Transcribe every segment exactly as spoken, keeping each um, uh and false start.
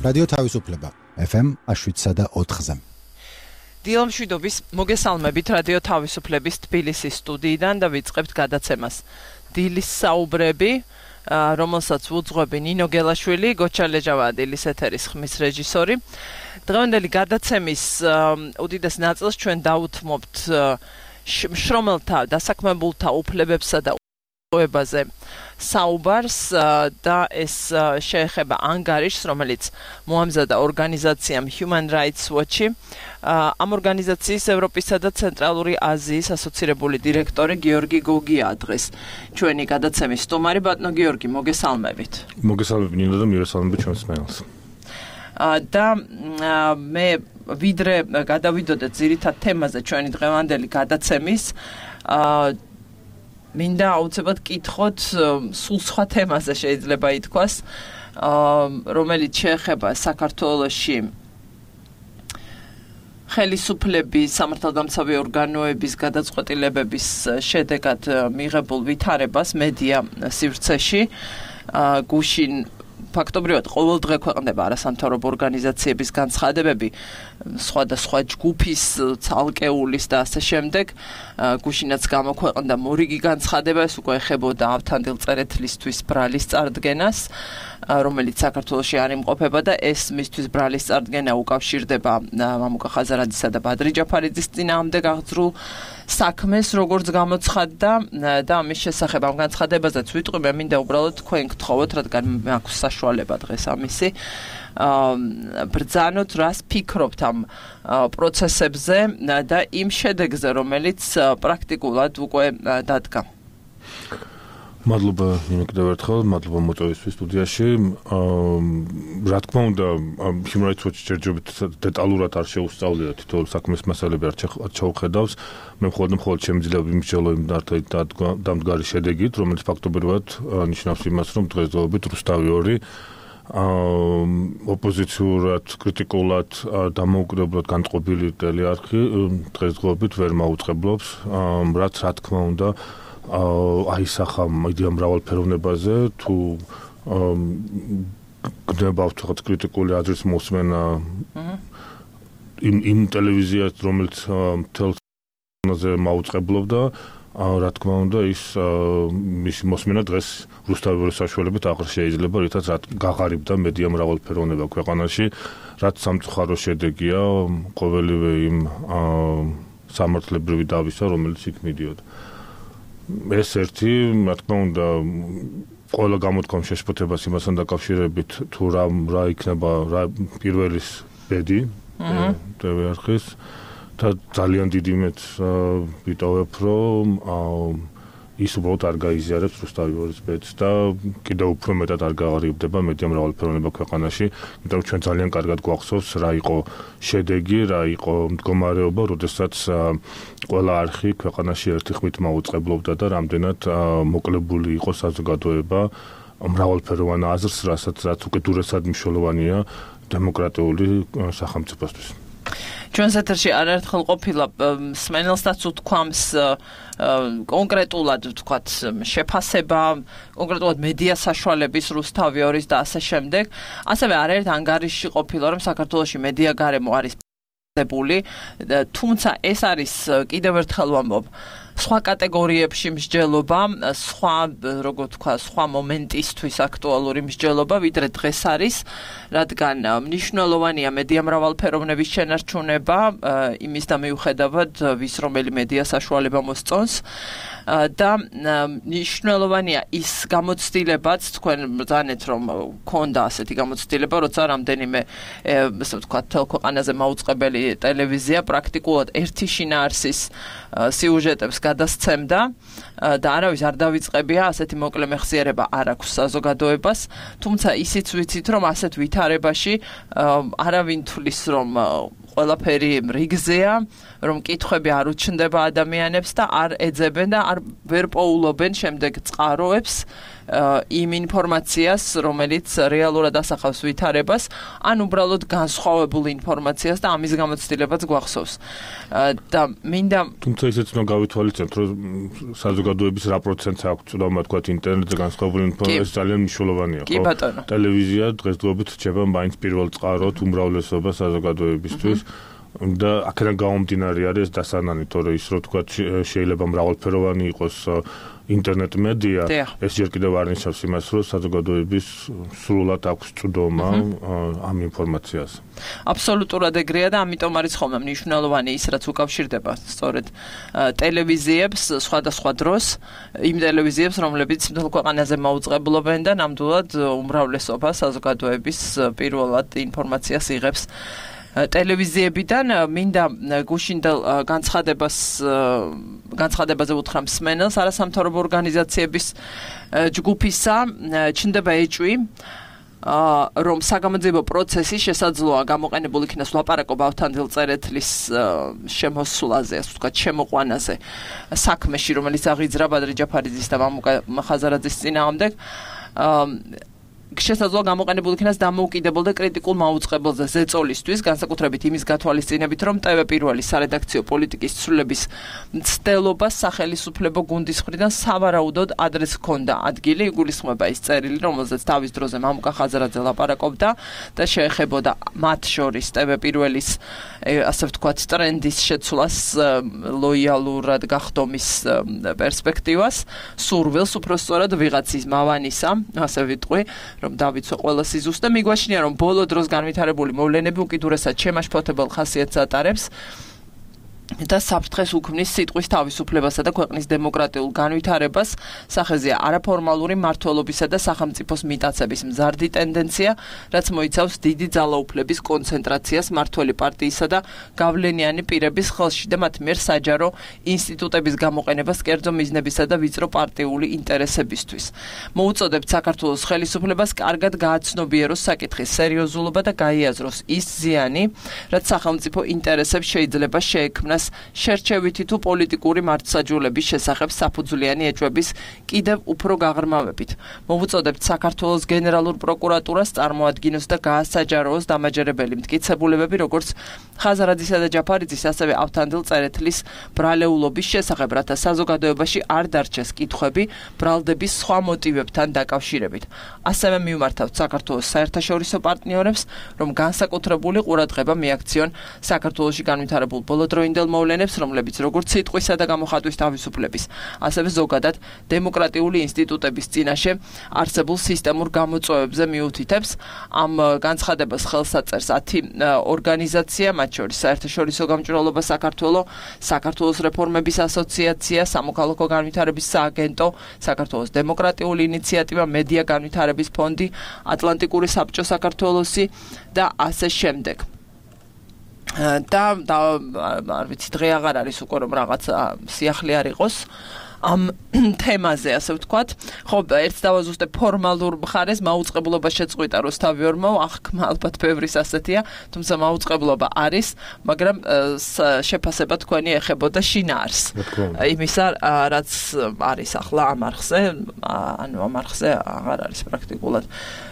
რადიო თავისუფლება ეფ ემ შვიდსა და ოთხზე. დილა მშვიდობის მოგესალმებით რადიო თავისუფლების თბილისის სტუდიიდან და ვიწყებთ გადაცემას. დილის საუბრები, რომელსაც უძღვები ნინო გელაშვილი, გოჩა ლეჯავადილის ეთერის ხმის რეჟისორი. დღევანდელი გადაცემის უდიდეს ნაწილს ჩვენ დავუთმობთ შრომელთა დასაქმებულთა უფლებებსა და ობაზე საუბარს და ეს შეეხება ანგარიშს, რომელიც მოამზადა ორგანიზაციამ Human Rights Watch-ი. ამ ორგანიზაციის ევროპისა და ცენტრალური აზიის ასოცირებული დირექტორი გიორგი გოგია დღეს ჩვენი გადაცემის სტუმარი. ბატონო გიორგი, მოგესალმებით. მოგესალმებით ნინო და მივესალმებით ჩვენს მეგობრებს. და მე ვიდრე გადავიდოდეთ ძირითად თემაზე ჩვენი დღევანდელი გადაცემის, მინდა აუცილებლად კითხოთ სულ სხვა თემაზე შეიძლება ითქვას, რომელიც შეეხება საქართველოში ხელისუფლების, სამართალდამცავი ორგანოების გადაწყვეტილებების შედეგად მიღებულ ვითარებას მედია სივრცეში. გუშინ ფაქტობრივად ყოველდღე ქვეყნდება არასამთავრობო ორგანიზაციების განცხადებები, სხვადასხვა ჯგუფის, ცალკეულის და ასე შემდეგ. გუშინაც გამოქვეყნდა მორიგი განცხადება, ეს უკვე ეხებოდა ავთანდილ წერეთლისთვის ბრალის წარდგენას, რომელიც საქართველოში არ იმყოფება და ეს მისთვის ბრალის წარდგენა უკავშირდება მამუკა ხაზარაძისა და ბადრი ჯაფარიძის წინააღმდეგ აღძრულ საქმეს, როგორც გამოცხადდა და ამის შესახებ ამ განცხადებაზეც ვიტყვი, მე მინდა უბრალოდ თქვენ გთხოვოთ, რადგან მაქვს საშუალება დღეს ამისი, ბრძანოთ, რას ფიქრობთ ამ პროცესებზე და იმ შედეგზე, რომელიც პრაქტიკულად უკვე დადგა. მადლობა ნინო კიდევ ერთხელ, მადლობა მოწვევისთვის სტუდიაში. რა თქმა უნდა, Human Rights Watch ჯერჯერობით დეტალურად არ შეუსწავლია თითოეულ საქმის მასალები არ ჩაუხედავს. მე მხოლოდ მხოლოდ შემიძლია ვიმსჯელო იმ დამდგარი შედეგით, რომელიც ფაქტობრივად ნიშნავს იმას, რომ დღესდღეობით რუსთავი ორი ოპოზიციურად, კრიტიკულად, დამოუკიდებლად განწყობილი ტელეარხი დღესდღეობით ვერ მაუწყებლობს, რაც რა თქმა უნდა აისახა იდეა მრავალფეროვნებაზე, თუ გნებავთ რაღაც კრიტიკული აზრის მოსმენა იმ იმ ტელევიზიას, რომელიც თელზე მაუწყებლობდა, რა თქმა უნდა ის მისი მოსმენა დღეს რუსთავი ორის საშუალებით აღარ შეიძლება, რითაც გაღარიბდა მედია მრავალფეროვნება ქვეყანაში, რაც სამწუხარო შედეგია ყოველივე იმ სამართლებრივი დავისა, რომელიც იქ მიდიოდა. ეს ერთი, რა თქმა უნდა, ყველა გამოთქვამ შეშფოთებას იმასთან დაკავშირებით, თუ რა რა იქნება რა პირველის ბედი ტელეარხის და ძალიან დიდი იმედს ვიტოვებ, რომ ის უბრალოდ არ გაიზიარებს რუსთავი ორის ბედს და კიდევ უფრო მეტად არ გაღარიბდება მედია მრავალფეროვნება ქვეყანაში, იმიტომ რომ ჩვენ ძალიან კარგად გვახსოვს რა იყო შედეგი, რა იყო მდგომარეობა, როდესაც ყველა არხი ქვეყანაში ერთი ხმით მაუწყებლობდა და რამდენად მოკლებული იყო საზოგადოება მრავალფეროვან აზრს, რასაც რაც უკიდურესად მნიშვნელოვანია დემოკრატიული სახელმწიფოსთვის. ჩვენს ეთერში არაერთხელ ყოფილა სმენელსაც უთქვამს კონკრეტულად ვთქვათ შეფასება, კონკრეტულად მედია საშუალების რუსთავი ორის და ასე შემდეგ. ასევე არაერთ ანგარიშში ყოფილა, რომ საქართველოში მედია გარემო არის პ***ებული, თუმცა ეს არის კიდევ ერთხელ ვამბობ, სხვა კატეგორიებში მსჯელობა, სხვა, როგორ თქვა, სხვა მომენტისთვის აქტუალური მსჯელობა, ვიდრე დღეს არის, რადგან მნიშვნელოვანია მედია მრავალფეროვნების შენარჩუნება, იმის და მიუხედავად, ვის რომელი მედია საშუალება მოსწონს და მნიშვნელოვანია ის გამოცდილებაც, თქვენ ბრძანეთ, რომ ქონდა ასეთი გამოცდილება, როცა რამდენიმე, ასე ვთქვათ, თელქვეყანაზე მაუწყებელი ტელევიზია პრაქტიკულად ერთი შინაარსის სიუჟეტებს გადასცემდა და არავის არ დავიწყებია, ასეთი მოკლე მეხსიერება არ აქვს საზოგადოებას, თუმცა ისიც ვიცით, რომ ასეთ ვითარებაში არავინ თulis, რომ ყველაფერი რიგზეა, რომ კითხვები არ უჩნდება ადამიანებს და არ ეძებენ და არ ვერ პოულობენ შემდეგ წყაროებს იმ ინფორმაციას, რომელიც რეალურად ასახავს ვითარებას, ან უბრალოდ განსხვავებულ ინფორმაციას და ამის გამოცდილებაც გვახსოვს. და მინდა თუმცა ისეც უნდა გავითვალისწინოთ, რომ საზოგადოების რა პროცენტს აქვს წვდომა თქვა ინტერნეტზე განსხვავებული ინფორმაცია ძალიან მნიშვნელოვანია, ხო? ტელევიზია დღესდღეობით რჩება მაინც პირველ წყაროდ უმრავლესობა საზოგადოებისთვის. და აქედან გამომდინარე არის დასანანი, თორე ის რო თქვა შეიძლება მრავალფეროვანი იყოს ინტერნეტ მედია, ეს ჯერ კიდევ არ ნიშნავს იმას, რომ საზოგადოების სრულად აქვს წვდომა ამ ინფორმაციას. აბსოლუტურად ეგრეა და ამიტომ არის ხოლმე მნიშვნელოვანი ის, რაც უკავშირდება სწორედ ტელევიზიებს სხვადასხვა დროს, იმ ტელევიზიებს, რომლებიც მთელ ქვეყანაზე მაუწყებლობენ და ნამდვილად უმრავლესობა საზოგადოების პირველად ინფორმაციას იღებს ტელევიზიებიდან. მინდა გუშინდელ განცხადებას განცხადებაზე უთხრა მსმენელს არასამთავრობო ორგანიზაციების ჯგუფისა, ჩნდება ეჭვი, რომ საგამოძიებო პროცესი შესაძლოა გამოყენებულ იქნას ლაპარაკობა ავთანდილ წერეთლის შემოსვლაზე, ასე ვთქვათ, შემოყვანაზე საქმეში, რომელიც აღიძრა ბადრი ჯაფარიძის და მამუკა ხაზარაძის წინააღმდეგ. შესაძლოა გამოყენებულ იქნას დამოუკიდებელ და კრიტიკულ მაუწყებელზე ზეწოლისთვის, განსაკუთრებით იმის გათვალისწინებით, რომ ტევ პირველი სარედაქციო პოლიტიკის ცვლილების მცდელობას სახელმწიფო გუნდის მხრიდან სავარაუდოდ ადრეს ჰქონდა ადგილი, იგულისხმება ის წერილი, რომელზეც თავის დროზე მამუკა ხაზარაძე ლაპარაკობდა და შეეხებოდა მათ შორის ტევ პირველის ასე ვთქვათ ტრენდის შეცვლას, ლოიალურად გახდომის პერსპექტივას, სურვილს უბრალოდ ვიღაცის მავანისა, ასე ვიტყვი, რომ დავიცვა ყველა სიზუსტე. მიგვაჩნია, რომ ბოლო დროს განვითარებული მოვლენები უკიდურესად შემაშფოთებელ ხასიათს ატარებს და საფრთხეს უქმნის სიტყვის თავისუფლებასა და ქვეყნის დემოკრატიულ განვითარებას. სახეზეა არაფორმალური მმართველობისა და სახელმწიფოს მიტაცების მზარდი ტენდენცია, რაც მოიცავს დიდი ძალაუფლების კონცენტრაციას მმართველი პარტიისა და გავლენიანი პირების ხელში და მათ მიერ საჯარო ინსტიტუტების გამოყენებას კერძო მიზნებისა და ვიწრო პარტიული ინტერესებისთვის. მოუწოდებთ საქართველოს ხელისუფლებას კარგად გააცნობიეროს საკითხის სერიოზულობა და გაიაზროს ის ზიანი, რაც სახელმწიფო ინტერესებს შეიძლება შეექმნას შერჩევითი თუ პოლიტიკური მართლმსაჯულების შესახებ საფუძვლიანი ეჭვების კიდევ უფრო გაღრმავებით. მოვუწოდებთ საქართველოს გენერალურ პროკურატურას წარმოადგინოს და გაასაჯაროოს დამაჯერებელი მტკიცებულებები, როგორც ხაზარაძისა და ჯაფარიძის, ასევე ავთანდილ წერეთლის ბრალეულობის შესახებ, რათა საზოგადოებაში არ დარჩეს კითხვები ბრალდების სხვა მოტივებთან დაკავშირებით. ასევე მივმართავთ საქართველოს საერთაშორისო პარტნიორებს, რომ განსაკუთრებული ყურადღება მიაქციონ საქართველოში განვითარებულ ბოლოდროინდელ მოვლენებს, რომლებიც როგორც სიტყვისა და გამოხატვის თავისუფლების, ასევე ზოგადად დემოკრატიული ინსტიტუტების წინაშე არსებულ სისტემურ გამოწვევებზე მიუთითებს. ამ განცხადებას ხელს აწერს ათი ორგანიზაცია, მათ შორის საერთაშორისო გამჭვირვალობა საქართველო, საქართველოს რეფორმების ასოციაცია, სამოქალაქო განვითარების სააგენტო, საქართველოს დემოკრატიული ინიციატივა, მედია განვითარების ფონდი, ატლანტიკური საბჭო საქართველოსი და ასე შემდეგ. და და არ ვიცი, დღე აღარ არის უკვე რომ რაღაც სიახლე არ იყოს ამ თემაზე, ასე ვთქვათ. ხო, ერთს დავაზუსტებ ფორმალურ მხარეს, მაუწყებლობა შეწყვიტა რუსთავიორმა, აღქმა ალბათ ბევრის ასეთია, თუმცა მაუწყებლობა არის, მაგრამ შეფასება თქვენი ეხებოდა შინაარს. იმისა, რაც არის ახლა ამ არხზე, ანუ ამ არხზე აღარ არის პრაქტიკულად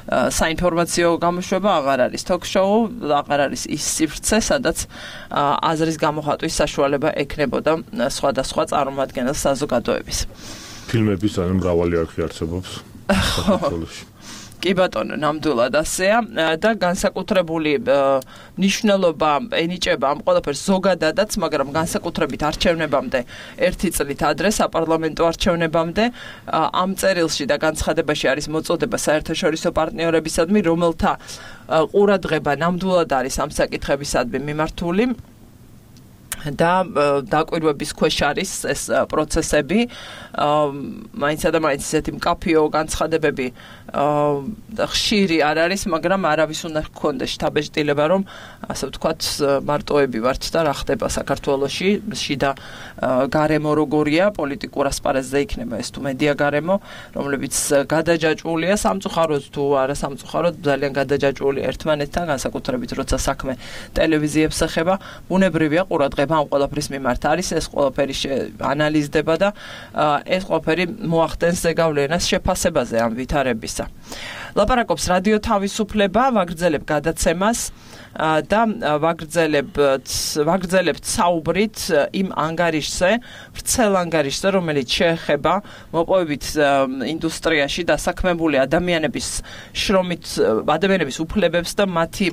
საინფორმაციო გამოშვება, აღარ არის ток-შოუ, აღარ არის ის სივრცე, სადაც აზრის გამოხატვის საშუალება ექნებოდა სხვადასხვა წარმომადგენელს საზოგადოების. ფილმების ან მრავალი არხი არსებობს საქართველოში. კი ბატონო, ნამდვილად ასეა და განსაკუთრებული მნიშვნელობა ენიჭება ამ ყველაფერს ზოგადადაც, მაგრამ განსაკუთრებით არჩევნებამდე ერთი წლით ადრე საპარლამენტო არჩევნებამდე ამ წერილში და განცხადებაში არის მოწოდება საერთაშორისო პარტნიორებისადმი, რომელთა ყურადღება ნამდვილად არის ამ საკითხებისადმი მიმართული. და დაკვირვების ქვეშ არის ეს პროცესები, მაინცსა და მაინც ისეთი მკაფიო განცხადებები ხშირი არ არის, მაგრამ არავის უნდა ჰქონდეს შთაბეჭდილება, რომ ასე ვთქვათ, მარტოები ვართ და რა ხდება საქართველოში, შიდა გარემო როგორია, პოლიტიკურ ასპარეზზე იქნება ეს თუ მედია გარემო, რომლებიც გადაჯაჭვულია სამწუხაროდ თუ არა სამწუხაროდ, ძალიან გადაჯაჭვულია ერთმანეთთან, განსაკუთრებით როცა საქმე ტელევიზიებს ეხება, ბუნებრივია ყურადღება ამ ყველაფრის მიმართ არის, ეს ყველაფერი ანალიზდება და ეს ყველაფერი მოახდენს ზეგავლენას შეფასებაზე ამ ვითარებისა. ლაპარაკობს რადიო თავისუფლება, ვაგრძელებ გადაცემას და ვაგრძელებთ ვაგრძელებთ საუბრით იმ ანგარიშზე, ვრცელ ანგარიშზე, რომელიც შეეხება მოპოვებით ინდუსტრიაში დასაქმებული ადამიანების შრომით, ადამიანების უფლებებს და მათი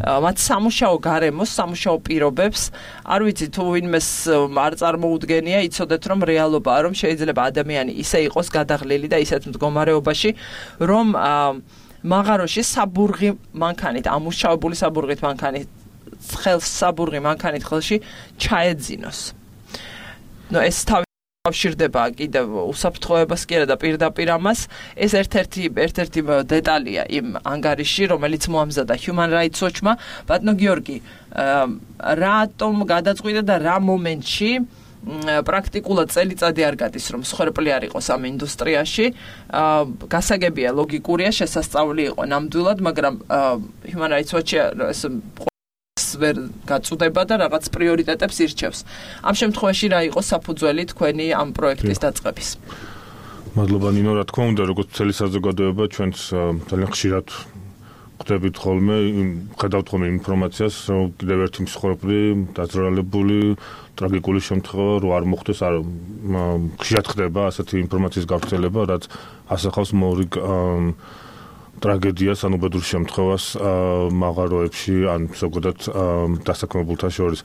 მათ სამუშაო გარემოს, სამუშაო პირობებს. არ ვიცი თუ ვინმეს არ წარმოუდგენია, იცოდეთ რომ რეალობაა, რომ შეიძლება ადამიანი ისე იყოს გადაღლილი და ისეთ მდგომარეობაში, რომ მაღაროში საბურღი მანქანით, ამუშავებული საბურღით მანქანით, ხელს საბურღი მანქანით ხელში ჩაეძინოს. ნუ ეს თავშირდება კიდევ უსაფრთხოებას კი არა და პირდაპირ ამას, ეს ერთ-ერთი ერთ-ერთი დეტალია იმ ანგარიში, რომელიც მოამზადა Human Rights Watch-მა. ბატონო გიორგი, რატომ გადაწყვიტა და რა მომენტში პრაქტიკულად წელიწადი არ გადის, რომ მსხვერპლი არ იყოს ამ ინდუსტრიაში. გასაგებია, ლოგიკურია, შესასწავლი იყო ნამდვილად, მაგრამ Human Rights Watch-ი ვერ გაწუდება და რაღაც პრიორიტეტებს ირჩევს. ამ შემთხვევაში რა იყო საფუძველი თქვენი ამ პროექტის დაწყების? მადლობა ნინო, რა თქმა უნდა, როგორც მთელი საზოგადოება, ჩვენც ძალიან ხშირად ხვდებით ხოლმე, ხედავთ ხოლმე ინფორმაციას, რომ კიდევ ერთი მსხვერპლი, დაძრალებული, ტრაგიკული შემთხვევა რო არ მოხდეს, არ ხშირად ხდება ასეთი ინფორმაციის გავრცელება, რაც ასახავს მორიგ ტრაგედიას, ან უბედურ შემთხვევას მაღაროებში, ან ზოგადად დასაქმებულთა შორის.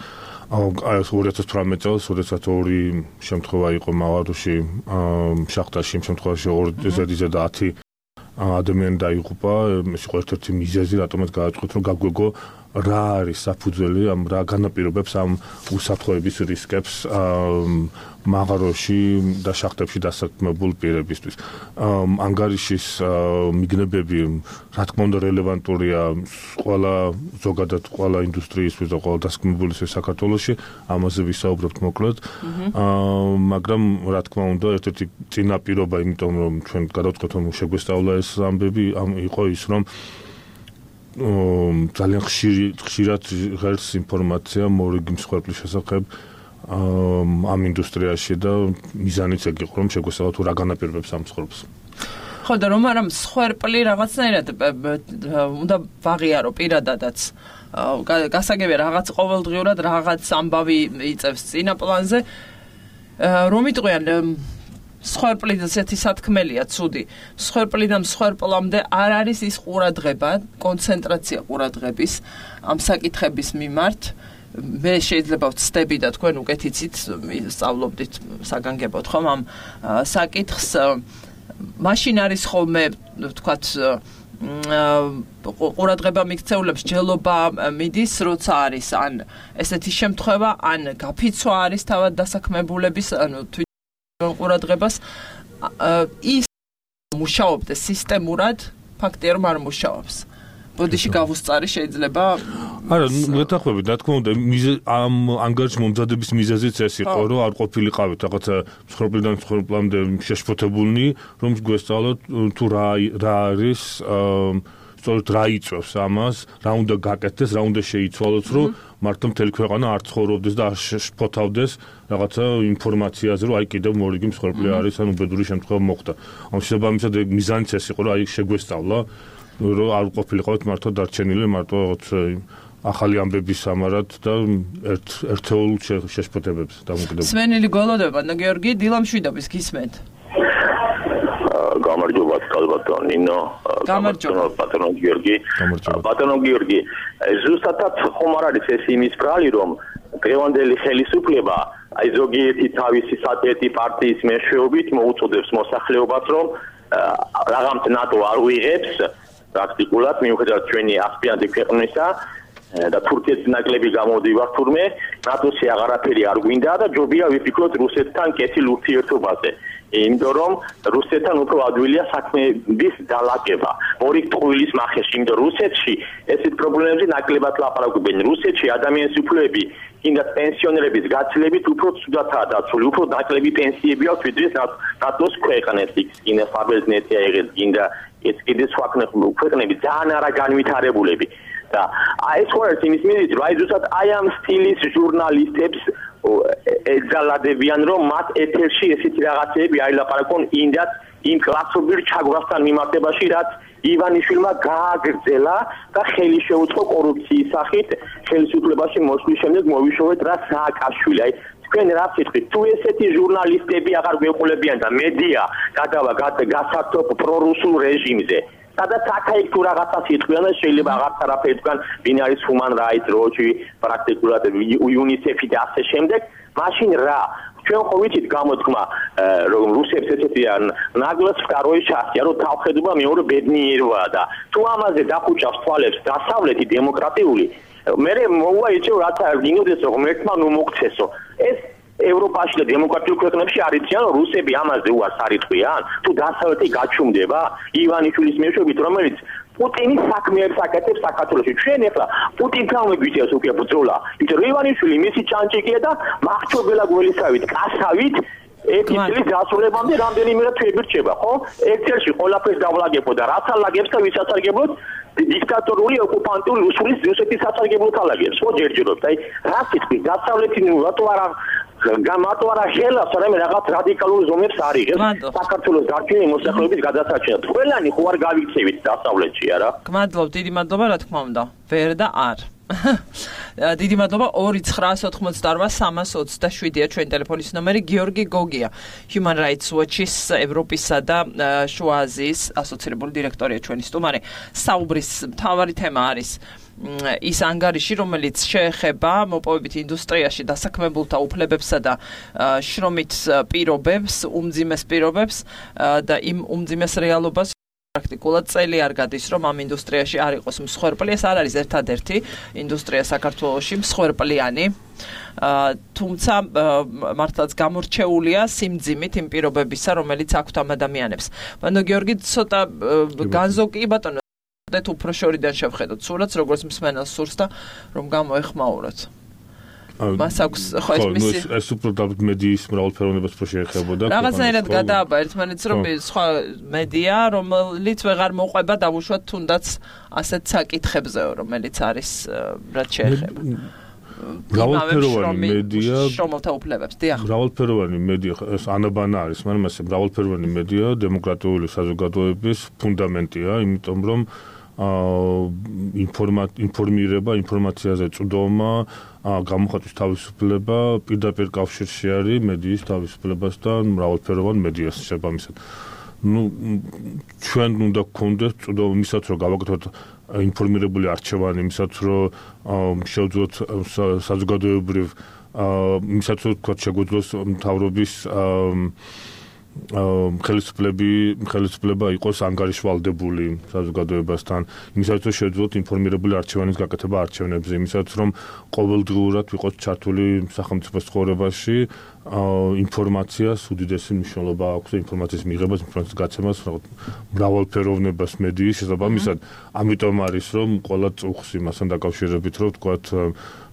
ორი ათას თვრამეტ წელს, როდესაც ორი შემთხვევა იყო მაღაროში, შახტაში, იმ შემთხვევაში ორი ზედიზედ ათი ადამიანი დაიღუპა, ეს იყო ერთ-ერთი მიზეზი, რატომაც გააჩვენეთ, რომ გაგვეგო რა არის საფუძველი, ამ რა განაპირობებს ამ უსაფრთხოების რისკებს მაღაროში და შახტებში დასაქმებულ პირებისთვის. ანგარიშის მიგნებები, რა თქმა უნდა, რელევანტურია ყველა ზოგადად ყველა ინდუსტრიისთვის და ყველა დასაქმებულისთვის საქართველოში, ამაზე ვისაუბრებთ მოკლედ. მაგრამ რა თქმა უნდა, ერთ-ერთი წინაპირობა, იმიტომ რომ ჩვენ გადავწყვეტ, რომ შეგვესწავლა ეს ამბები, იყო ის, რომ ძალიან ხშირი ხშირად ღერს ინფორმაცია მორიგი მსხვერპლის შესახებ ამ ინდუსტრიაში და მიზანიც ეგ იყო, რომ შეგვესწავლოთ რა განაპირობებს ამ მსხვერპლს. ხო და რომ არა მსხვერპლი რაღაცნაირად უნდა ვაღიარო პირადადაც. გასაგებია რაღაც ყოველდღიურად რაღაც ამბავი იწევს წინა პლანზე. რომ იტყვიან მსხვერპლი ესეთი სათქმელია ცუდი. მსხვერპლიდან მსხვერპლამდე არ არის ის ყურადღება, კონცენტრაცია ყურადღების ამ საკითხების მიმართ. მე შეიძლება ვცდები და თქვენ უკეთ იცით, სწავლობდით საგანგებოდ ხომ ამ საკითხს. მაშინ არის ხოლმე, ვთქვათ, ყურადღება მიქცეულებს ჯელობა მიდის, როცა არის ან ესეთი შემთხვევა, ან გაფიცვა არის თავად დასაქმებულების, ანუ ყურადღებას ის მუშაობდეს სისტემურად, ფაქტია რომ არ მუშაობს. ბოდიში გავუსწარი შეიძლება არა, მეთახვებით, რა თქმა უნდა, ამ ანგარიშ მომზადების მიზეზიც ეს იყო, რომ არ ყოფილიყავით რაღაცა მსხვერპლიდან მსხვერპლამდე შეშფოთებულნი, რომ გვესწავლოთ თუ რა რა არის სწორედ რა იწვევს ამას, რა უნდა გაკეთდეს, რა უნდა შეიცვალოს, რომ მართლა მთელი ქვეყანა არ ცხოვრობდეს და არ შეშფოთავდეს რაღაცა ინფორმაციაზე, რომ აი კიდევ მორიგი მსხვერპლი არის, ან უბედური შემთხვევა მოხდა. ამ შესაბამისად მიზანიც ეს იყო, რომ აი შეგვესწავლა, რომ არ ყოფილიყავით მართლა დარჩენილი, მარტო რაღაც ახალი ამბების სამარად და ერთ ერთეულ შეშფოთებებს დამოკიდებული. სვენილი გოლოდება და გიორგი დილამშვიდობის გისმენთ. გამარჯობა კალბატონ ნინო, გამარჯობა ბატონო გიორგი. ბატონო გიორგი, ზუსტად ხომ არ არის ეს იმის ბრალი, რომ დღევანდელი ხელისუფლება აი ზოგიერთი თავისი სატეტი პარტიის მეშვეობით მოუწოდებს მოსახლეობას, რომ რაღაც ნატო არ უიღებს პრაქტიკულად, მიუხედავად ჩვენი ასპირანტი ქვეყნისა და თურქეთის ნაკლები გამოდივარ თურმე ნატოსი აღარაფერი არ გვინდა და ჯობია ვიფიქროთ რუსეთთან კეთილ ურთიერთობაზე იმიტომ რომ რუსეთთან უფრო ადვილია საქმეების დალაგება ორი ტყუილის მახეში იმიტომ რუსეთში ესეთ პრობლემებზე ნაკლებად ლაპარაკობენ რუსეთში ადამიანის უფლებები კიდაც პენსიონერების გაცილებით უფრო ცუდათაა დაცული უფრო ნაკლები პენსიები აქვს ვიდრე ნატოს ქვეყნებს იქ ფაბერნეთი აიღეს კიდე ეს კიდე სხვა ქვეყნები ძალიან არა განვითარებულები და ეს ხوار იმის მიზეზი რა ზუსტად აი ამ სტილის ჟურნალისტებს ეძალადებიან რომ მათ ეთერში ესეთი რაღაცები აილაპარაკონ ინდაც იმ კლასობრივ ჩაგვასთან მიმართებაში რაც ივანიშვილმა გააგრძელა და ხელი შეუწყო კორუფციის სახით ხელისუფლებაში მოსვლის შემდეგ მოვიშოვეთ რა სააკაშვილი აი თქვენ რა ვთქვით თუ ესეთი ჟურნალისტები აღარ გვეყოლებიან და მედია გადავა გასართობ პრორუსულ რეჟიმზე სადაც აქ-იქ თუ რაღაცას იტყვიან და შეიძლება აღარც არაფერი თქვან ვინ არის Human Rights Watch-ი პრაქტიკულად UNICEF-ი და ასე შემდეგ მაშინ რა ჩვენ ხო ვიცით გამოთქმა რომ რუსებს ესეთი ნაგლას ვკაროი ჩასია რომ თავხედობა მეორე ბედნიეროა და თუ ამაზე დახუჭავს თვალებს დასავლეთი დემოკრატიული მე მოვაიჩევ რათა გინოდეს რომ ერთმა ნუ მოგცესო ეს ევროპაში და დემოკრატიულ ქვეყნებში არიციან რომ რუსები ამაზე უარს არიტყვიან თუ დასავლეთი გაჩუმდება ივანიშვილის მეშვეობით რომელიც პუტინის საქმეებს აკეთებს საქართველოში ჩვენ ახლა პუტინთან მეგვიწევს უკვე ბრძოლა იმიტომ რომ ივანიშვილი მისი ჩანჭიკია და მახრჩობელა გველისავით კასავით ერთი წლის დასრულებამდე რამდენიმე თვეები რჩება ხო ერთ-ერთი ყველაფერს დავლაგებო და რაც ალაგებს და ვის ასარგებლოთ დიქტატორული ოკუპანტული რუსული რუსეთის ასარგებლოთ ალაგებს ხო ჯერჯერობით აი რა სიტყვი დასავლეთი ნუ რატო არა გამატო არა ხელას რამე რაღაც რადიკალურ ზომებს არიღებს საქართველოს გარკვეული მოსახლეობის გადასარჩენად ყველანი ხო არ გავიქცევით დასავლეთში არა გმადლობ დიდი მადლობა რა თქმა უნდა ვერ და არ დიდი მადლობა ორი ცხრაას ოთხმოცდაოთხ სამას ოცდაშვიდია ჩვენი ტელეფონის ნომერი გიორგი გოგია Human Rights Watch-ის ევროპისა და შუა აზიის ასოცირებული დირექტორია ჩვენი სტუმარი საუბრის მთავარი თემა არის ის ანგარიში რომელიც შეეხება მოპოვებით ინდუსტრიაში დასაქმებულთა უფლებებსა და შრომით პირობებს უმძიმეს პირობებს და იმ უმძიმეს რეალობას პრაქტიკულად წელი არ გადის რომ ამ ინდუსტრიაში არ იყოს მსხვერპლი ეს არ არის ერთადერთი ინდუსტრია საქართველოში მსხვერპლიანი თუმცა მართლაც გამორჩეულია სიმძიმით იმ პირობებისა რომელიც აქვთ ამ ადამიანებს ბანო გიორგი ცოტა განზოგი ბატონო და თუ უფრო შორიდან შევხედოთ სურათს როგორც მსმენელს სურს და რომ გამოეხმაუროთ მას აქვს ხო ეს მისი ეს უფრო მედიის მრავალფეროვნებას უფრო შეეხებოდა რაღაცნაირად გადააბა ერთმანეთს რომ სხვა მედია რომელიც ვეღარ მოყვება დავუშვათ თუნდაც ასეთ საკითხებზეო რომელიც არის რაც შეეხება მრავალფეროვანი მედია შრომელთა უფლებებს დიახ მრავალფეროვანი მედია ეს ანაბანა არის მაგრამ ეს მრავალფეროვანი მედია დემოკრატიული საზოგადოების ფუნდამენტია იმიტომ რომ ინფორმირება ინფორმაციაზე წვდომა გამოხატვის თავისუფლება პირდაპირ კავშირში არის მედიის თავისუფლებასთან მრავალფეროვან მედიას შესაბამისად ну ჩვენ უნდა გქონდეს წვდომა მისაც რომ გავაკეთოთ ინფორმირებული არჩევანი მისაც რომ შევძლოთ საზოგადოებრივ მისაც რომ თქვა შეგვიძლოს მთავრობის ხელისუფლები ხელისუფლება იყოს ანგარიშვალდებული საზოგადოებასთან იმისაც რომ შეძლოთ ინფორმირებული არჩევანის გაკეთება არჩევნებზე იმისაც რომ ყოველდღიურად ვიყოთ ჩართული სახელმწიფოს ცხოვრებაში ინფორმაციას უდიდესი მნიშვნელობა აქვს ინფორმაციის მიღებას ინფორმაციის გაცემას მრავალფეროვნებას მედიის შესაბამისად ამიტომ არის რომ ყველა წუხს იმასთან დაკავშირებით რომ ვთქვათ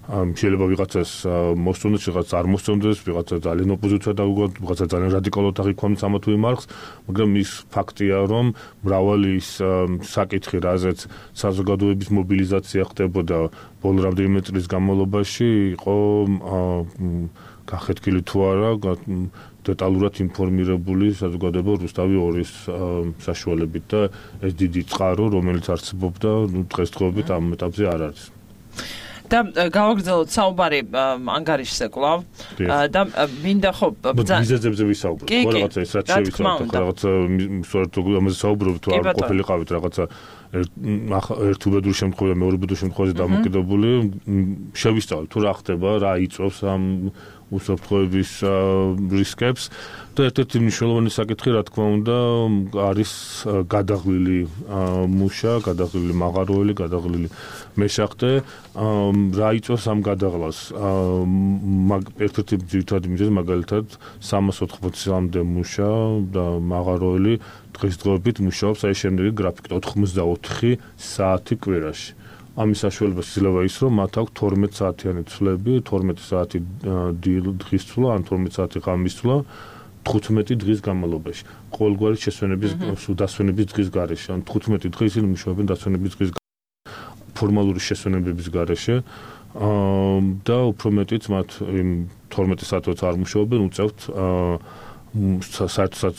შეიძლება ვიღაცას მოსწონდეს, ვიღაცას არ მოსწონდეს, ვიღაცა ძალიან ოპოზიცია დაუგოთ, ვიღაცა ძალიან რადიკალურად აღიქვამს ამა თუ იმ არხს, მაგრამ ის ფაქტია, რომ მრავალი ის საკითხი, რაზეც საზოგადოების მობილიზაცია ხდებოდა ბოლო რამდენიმე წლის განმავლობაში, იყო გახეთქილი თუ არა, დეტალურად ინფორმირებული საზოგადოება რუსთავი ორის საშუალებით და ეს დიდი წყარო, რომელიც არსებობდა, დღესდღეობით ამ ეტაპზე არ არის. და გავაგრძელოთ საუბარი ანგარიშზე კვლავ და მინდა ხო მიზეზებზე ვისაუბროთ ხო რაღაცა ის რაც შევიცავთ რაღაცა სწორედ ამაზე საუბრობთ თუ არ ყოფილიყავით რაღაცა ერთ უბედურ შემთხვევაში მეორე უბედურ შემთხვევაში დამოკიდებული შევისწავლოთ თუ რა ხდება რა იწვევს ამ უსაფრთხოების რისკებს და ერთ-ერთი მნიშვნელოვანი საკითხი რა თქმა უნდა არის გადაღლილი მუშა, გადაღლილი მაღაროელი, გადაღლილი მეშახტე, რა იწვევს ამ გადაღლას. ერთ-ერთი ძირითადი მიზეზი მაგალითად სამას ოთხმოცამდე მუშა და მაღაროელი დღესდღეობით მუშაობს აი შემდეგი გრაფიკით ოთხმოცდაოთხი საათი კვირაში. ამის საშუალებას იძლევა ის, რომ მათ აქვს თორმეტ საათიანი ცვლები, თორმეტი საათი დღის ცვლა, ან თორმეტი საათი ღამის ცვლა, თხუთმეტი დღის განმავლობაში. ყოველგვარი შესვენების დასვენების დღის გარეშე, ან თხუთმეტი დღე ისინი მუშაობენ დასვენების დღის ფორმალური შესვენებების გარეშე და უფრო მეტიც მათ იმ თორმეტი საათით არ მუშაობენ, უწევთ საერთოდ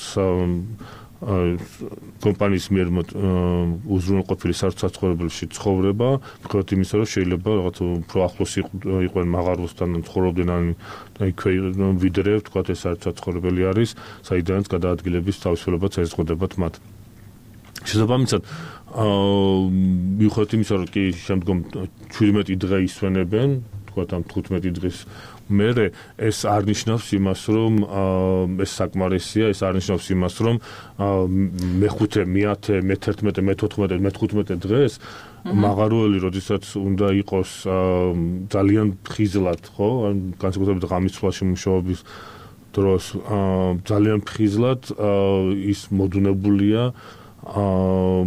კომპანიის მიერ უზრუნველყოფილი საცხოვრებელში ცხოვრება, მხოლოდ იმისა, რომ შეიძლება რაღაც უფრო ახლოს იყვნენ მაღაროსთან ცხოვრობდნენ ან იქვე ვიდრე თქვა ეს საერთოდ საცხოვრებელი არის, საიდანაც გადაადგილების თავისუფლებაც ეზღუდებათ მათ. შესაბამისად, მიუხედავად იმისა, რომ კი შემდგომ შვიდმეტი დღე ისვენებენ, თქვა ამ თხუთმეტი დღის მერე ეს არ ნიშნავს იმას, რომ ეს საკმარისია, ეს არ ნიშნავს იმას, რომ მეხუთე, მეათე, მეთერთმეტე, მეთოთხმეტე, მეთხუთმეტე დღეს მაღაროელი, როდესაც უნდა იყოს ძალიან ფხიზლად, ხო? ან განსაკუთრებით ღამის ცვლაში მუშაობის დროს ძალიან ფხიზლად ის მოდუნებულია აა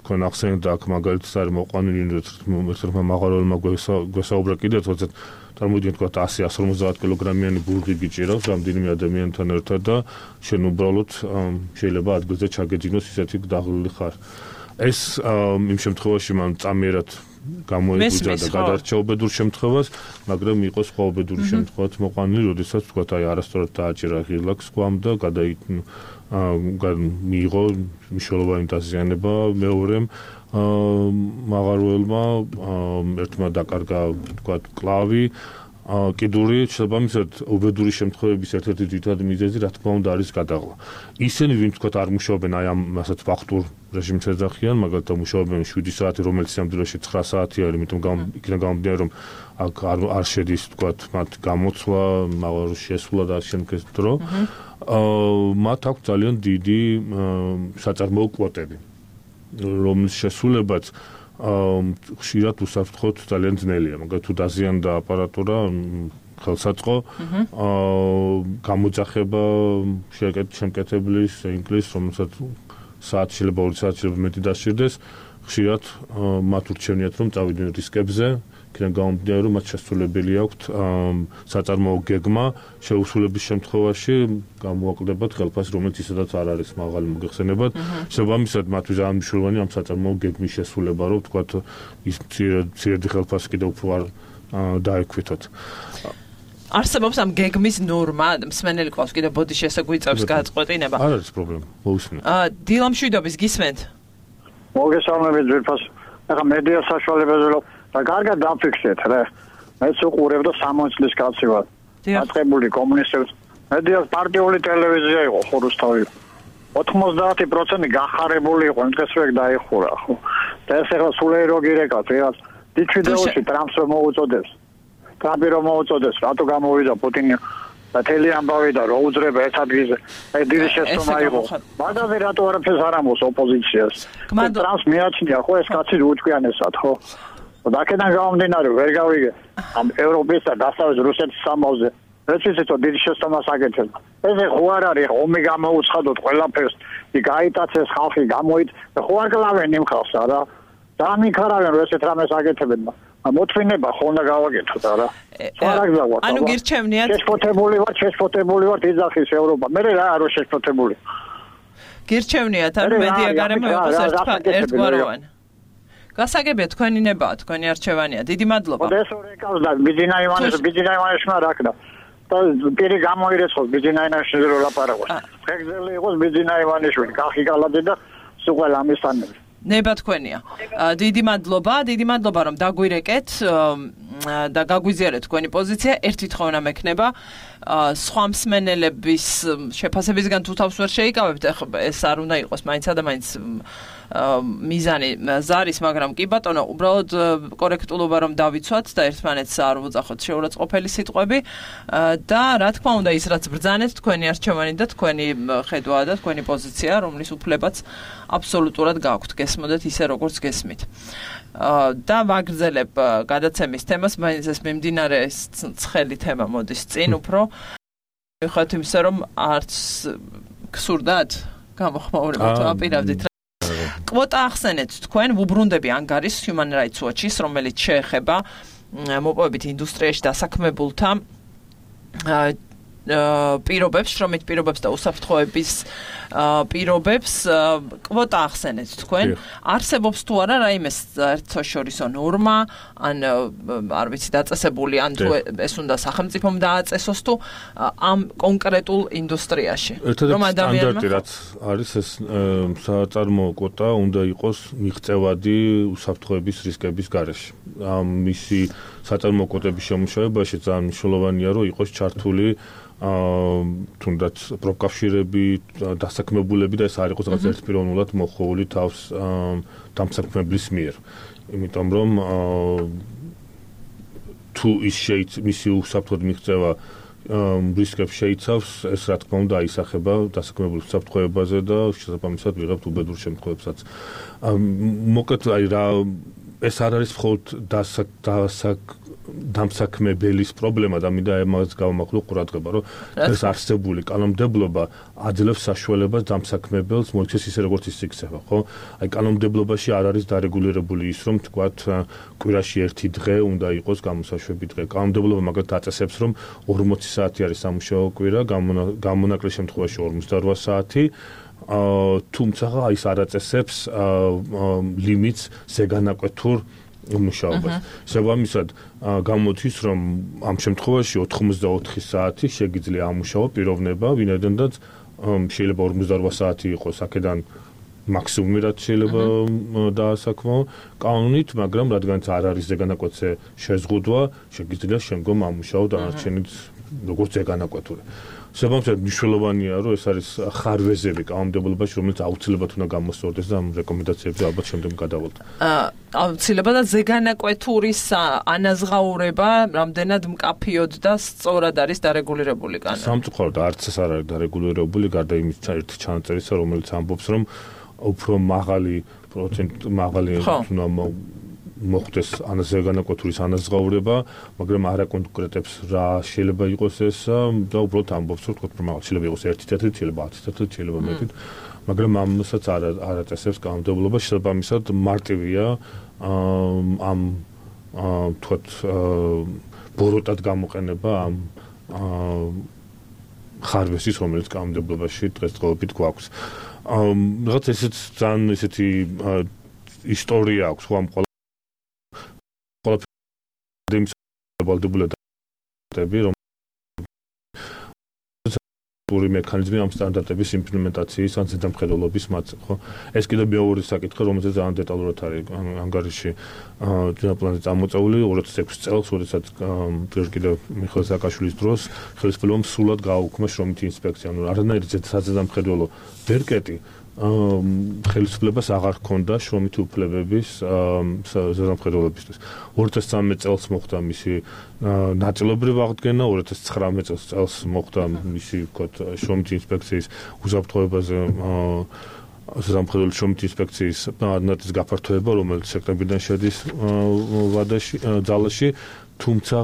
კონახსენდა აქ მაგალითად არის მოყვანილი ერთ-ერთმა მაღაროელმა გვესაუბრა კიდევ თორსა წარმოვიდგინეთ თქვა ასი ასი ორმოცდაათ კილოგრამიანი ბურღი გიჭირავს რამდენიმე ადამიანთან ერთად და შენ უბრალოდ შეიძლება ადგილზე ჩაგეძინოს ისეთი დაღლილი ხარ. ეს იმ შემთხვევაში მან წამიერად გამოიგვიძა და გადარჩა უბედურ შემთხვევას, მაგრამ იყო სხვა უბედური შემთხვევაც მოყვანილი, როდესაც თქვა აი არასწორად დააჭირა ღილაკს სკვამ და გადაიყვნა მიიღო მნიშვნელოვანი დაზიანება მეორემ მაღაროელმა ერთმა დაკარგა თქვა კლავი კიდური შესაბამისად უბედური შემთხვევების ერთ-ერთი ძირითადი მიზეზი რა თქმა უნდა არის გადაღლა. ისინი ვინც თქვა არ მუშაობენ აი ამ ასეთ ფაქტურ რეჟიმს ეძახიან, მაგალითად მუშაობენ შვიდი საათი, რომელიც სამდროში ცხრა საათი არის, იმიტომ იქიდან გამომდინარე რომ აქ არ შედის თქვა მათ გამოცვლა, მაღაროს შესვლა და შემდგეს დრო. მათ აქვს ძალიან დიდი საწარმოო კვოტები, რომლის შესრულებაც ხშირად უსაფრთხოდ ძალიან ძნელია. მაგალითად თუ დაზიანდა აპარატურა, ხელსაწყო, გამოძახება შემკეთებლის, ინგლის, რომელსაც საათი შეიძლება ორი საათი შეიძლება მეტი დასჭირდეს, ხშირად მათ ურჩევნიათ რომ წავიდნენ რისკებზე, იქიდან გამომდინარე რომ მათ შესრულებელი აქვთ საწარმოო გეგმა, შეუსრულების შემთხვევაში გამოაკლებათ ხელფასი, რომელიც ისედაც არ არის მაღალი მოგეხსენებათ. შესაბამისად მათთვის ძალიან მნიშვნელოვანი ამ საწარმოო გეგმის შესრულება, რომ თქვათ ის მცირედი ხელფასი კიდევ უფრო არ დაექვითოთ. არსებობს ამ გეგმის ნორმა, მსმენელი ყავს კიდევ ბოდიშს შეგვიწევს გაწყვეტინება. არ არის პრობლემა, მოусმინე. დილამშვიდობის გისმენთ? მოგესალმებით ძვირფას. ახლა მედია საშუალებაზე და კარგად დაფიქსეთ რა. მეც უყურებ და სამოცი წლის კაცი ვარ. დაწყებული კომუნისტებს. მედია პარტიული ტელევიზია იყო ხო რუსთავი. ოთხმოცდაათი პროცენტი გახარებული იყო, დღეს ვერ დაიხურა ხო. და ეს ახლა სულეი რო გირეკავთ, რაღაც დიჩვიდეოში ტრამპს რომ მოუწოდებს. ტრამპი რომ მოუწოდებს, რატო გამოვიდა პუტინი და თელი ამბავი და რო უძრება ერთ ადგილზე. აი დიდი შეცდომა იყო. მაგაზე რატო არაფერს არ ამბობს ოპოზიციას. ტრამპს მიაჩნია ხო ეს კაცი უჩქიანესად ხო. და აქედან გამომდინარე ვერ გავიგე ამ ევროპის და დასავლეთ რუსეთის სამავზე. ეს ისეთო დიდი შეცდომას აკეთებდა. ეს ხო არ არის ომი გამოუცხადოთ ყველაფერს. იქ აიტაცეს ხალხი გამოით და ხო არ კლავენ იმ ხალხს არა. დამიქარავენ რომ ესეთ რამეს აკეთებენ. მოთმინება ხო უნდა გავაკეთოთ არა. სხვა რა გზავართ. ანუ გირჩევნიათ. შეშფოთებული ვარ, შეშფოთებული ვარ იძახის ევროპა. მე რა არო შეშფოთებული. გირჩევნიათ ანუ მედია გარემო იყოს ერთგვაროვანი. გასაგებია თქვენი ნება, თქვენი არჩევანია. დიდი მადლობა. ეს რეკავს და ბიძინა ივანეს, ბიძინა ივანესმა რაკდა. და პირი გამოირეცხოს ბიძინა ივანეშვილს რო ლაპარაკობს. ხეგზელი იყოს ბიძინა ივანიშვილი, კახი კალაძე და სულ ამისთანები. ნება თქვენია. დიდი მადლობა, დიდი მადლობა რომ დაგვირეკეთ და გაგვიზიარეთ თქვენი პოზიცია. ერთი თხოვნა მექნება. სხვა მსმენელების შეფასებისგან თუ თავს ვერ შეიკავებთ, ეს არ უნდა იყოს მაინც და მაინც მიზანი ზარის, მაგრამ კი ბატონო, უბრალოდ კორექტულობა რომ დავიცვათ და ერთმანეთს არ უძახოთ შეურაცხყოფელი სიტყვები და რა თქმა უნდა ის რაც ბრძანეთ თქვენი არჩევანი და თქვენი ხედვა და თქვენი პოზიცია, რომლის უფლებაც აბსოლუტურად გაქვთ, გესმოდეთ ისე როგორც გესმით. და ვაგრძელებ გადაცემის თემას, მაინც ეს მიმდინარე ცხელი თემა მოდის წინ უფრო. ხოთ იმისა რომ არც გსურდათ გამოხმაურება თუ აპირებდით. კვოტა ახსენეთ თქვენ ვუბრუნდები ანგარის Human Rights Watch-ის, რომელიც შეეხება მოპოვებით ინდუსტრიაში დასაქმებულთა პირობებს, შრომით პირობებს და უსაფრთხოების პირობებს კვოტა ახსენეთ თქვენ. არსებობს თუ არა რაიმე საერთაშორისო ნორმა, ან არ ვიცი დაწესებული, ან თუ ეს უნდა სახელმწიფომ დააწესოს თუ ამ კონკრეტულ ინდუსტრიაში. რომ ადამიანმა სტანდარტი რაც არის ეს საწარმოო კვოტა უნდა იყოს მიღწევადი უსაფრთხოების რისკების გარეშე. მისი საწარმოო კვოტების შემუშავებაში ძალიან მნიშვნელოვანია რომ იყოს ჩართული აა თუნდაც პროფკავშირები, დასაქმებულები და ეს არ იყოს რაღაც ერთპიროვნულად მოხეული თავს დამსაქმებლის მიერ. იმიტომ რომ თუ ის შეიძლება მისი უსაფრთხოდ მიღწევა რისკებს შეიცავს, ეს რა თქმა უნდა აისახება დასაქმებულ უსაფრთხოებაზე და შესაბამისად ვიღებთ უბედურ შემთხვევებსაც. მოკლედ აი რა ეს არ არის მხოლოდ დასაკ დამსაქმებელის პრობლემა და მინდა ამას გავამახვილო ყურადღება, რომ ეს არსებული კანონმდებლობა აძლევს საშუალებას დამსაქმებელს მოიქცეს ისე როგორც ის იქცევა, ხო? აი კანონმდებლობაში არ არის დარეგულირებული ის, რომ თქვათ კვირაში ერთი დღე უნდა იყოს გამოსაშვები დღე. კანონმდებლობა მაგალითად აწესებს, რომ ორმოცი საათი არის სამუშაო კვირა, გამონაკლისის შემთხვევაში ორმოცდაორ საათი. თუმცა ის არ აწესებს ლიმიტს ზეგანაკვეთურ მუშაობას. შესაბამისად, გამოდის, რომ ამ შემთხვევაში ოთხმოცდაოთხი საათი შეგიძლია ამუშაო პიროვნება, ვინაიდანაც შეიძლება ორმოცდაორ საათი იყოს აქედან მაქსიმუმი რაც შეიძლება დაასაქმო კანონით, მაგრამ რადგანაც არ არის ზეგანაკვეთზე შეზღუდვა, შეგიძლია შემდგომ ამუშაო დანარჩენიც როგორც ზეგანაკვეთური. შესაბამისად, მნიშვნელოვანია, რომ ეს არის ხარვეზები კანონმდებლობაში, რომელიც აუცილებლად უნდა გამოსწორდეს და ამ რეკომენდაციებზე ალბათ შემდგომ გადავალთ. აუცილებლად და ზეგანაკვეთურის ანაზღაურება რამდენად მკაფიოდ და სწორად არის დარეგულირებული კანონით. სამწუხაროდ არც ეს არ არის დარეგულირებული, გარდა იმის ერთი ჩანაწერისა, რომელიც ამბობს, რომ უფრო მაღალი პროცენტ მაღალი უნდა მოხდეს ანაზღაურების ანაზღაურება, მაგრამ არ აკონკრეტებს რა შეიძლება იყოს ეს და უბრალოდ ამბობს, რომ თქო მაგალითად შეიძლება იყოს ერთი წელი, შეიძლება ათი წელი, შეიძლება მეტი, მაგრამ ამასაც არ არ აწესებს კანონმდებლობა, შესაბამისად მარტივია ამ თქო ბოროტად გამოყენება ამ ხარვესის, რომელიც კანონმდებლობაში დღესდღეობით გვაქვს. რაღაც ესეც ძალიან ესეთი ისტორია აქვს ხო ამ ვალდებულებები რომ პური მექანიზმი ამ სტანდარტების იმპლემენტაციის ან ზედამხედველობის მათზე, ხო? ეს კიდევ მეორე საკითხი, რომელზეც ძალიან დეტალურად არის ანგარიში დიაპლანზე წამოწეული ორი ათას ექვსი წელს, როდესაც კიდევ მიხეილ სააკაშვილის დროს ხელისუფლებამ სრულად გააუქმა შრომითი ინსპექცია, ანუ არანაირი ზედამხედველო ვერ კეტი ხელისუფლებას აღარ ჰქონდა შრომითი უფლებების ზედამხედველობისთვის. ორი ათას ცხრამეტ წელს მოხდა მისი ნაწილობრივ აღდგენა, ორი ათას ცხრამეტ წელს მოხდა მისი ვთქვათ შრომითი ინსპექციის უსაფრთხოებაზე ზედამხედველი შრომითი ინსპექციის ნაწილის გაფართოება, რომელიც სექტემბრიდან შედის ვადაში, ძალაში, თუმცა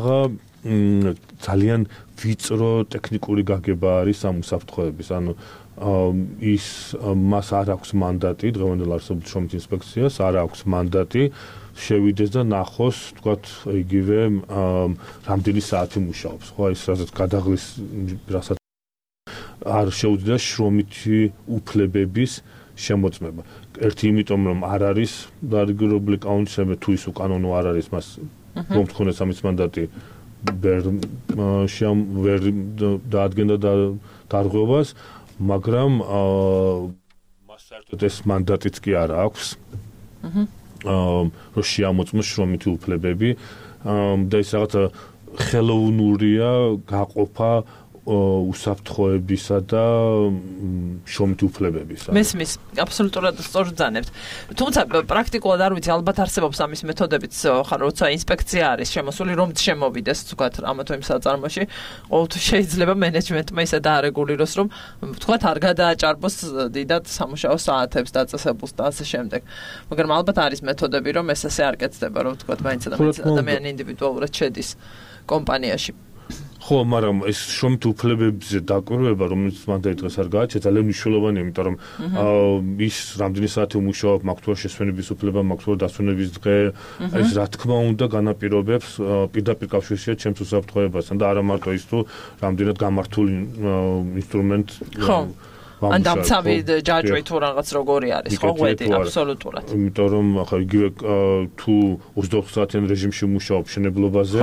ძალიან ვიწრო ტექნიკური გაგება არის ამ უსაფრთხოების, ანუ ის მას არ აქვს მანდატი, დღევანდელ არსებულ შრომით ინსპექციას არ აქვს მანდატი შევიდეს და ნახოს, თქვათ, იგივე რამდენი საათი მუშაობს, ხო, ის რასაც გადაღლის, რასაც არ შეუძლია შრომითი უფლებების შემოწმება. ერთი იმიტომ, რომ არ არის დარეგულირებული კანონით, თუ ის უკანონო არ არის, მას მომთხოვნეს ამის მანდატი ვერ ვერ დაადგენდა დარღვევას, მაგრამ მას საერთოდ ეს მანდატიც კი არ აქვს. რომ შეამოწმოს შრომითი უფლებები და ის რაღაც ხელოვნურია გაყოფა უსაფრთხოებისა და შრომით უფლებების. მესმის, აბსოლუტურად სწორ ძანებთ. თუმცა პრაქტიკულად არ ვიცი, ალბათ არსებობს ამის მეთოდებიც, ხარ როცა ინსპექცია არის შემოსული, რომ შემოვიდეს, თქვათ, ამა თუ იმ საწარმოში, ყოველთვის შეიძლება მენეჯმენტმა ისე დაარეგულიროს, რომ თქვათ, არ გადააჭარბოს დიდად სამუშაო საათებს დაწესებულს და ასე შემდეგ. მაგრამ ალბათ არის მეთოდები, რომ ეს ასე არ კეთდება, რომ თქვათ, მაინც ადამიანი ინდივიდუალურად შედის კომპანიაში. ხო, მაგრამ ეს შრომით უფლებებზე დაკვირვება, რომელიც მანდ დღეს არ გააჩნია, ძალიან მნიშვნელოვანია, იმიტომ რომ ის რამდენი საათი უმუშაობ, მაქვს თუ შესვენების უფლება, მაქვს თუ დასვენების დღე, ეს რა თქმა უნდა განაპირობებს პირდაპირ კავშირშია ჩემს უსაფრთხოებასთან და არა მარტო ის თუ რამდენად გამართული ინსტრუმენტ ხო ან დამცავი ჯაჭვი თუ რაღაც როგორი არის, ხო, ღვედი, აბსოლუტურად. იმიტომ რომ ახლა იგივე თუ ოცდაოთხ საათიან რეჟიმში მუშაობ მშენებლობაზე,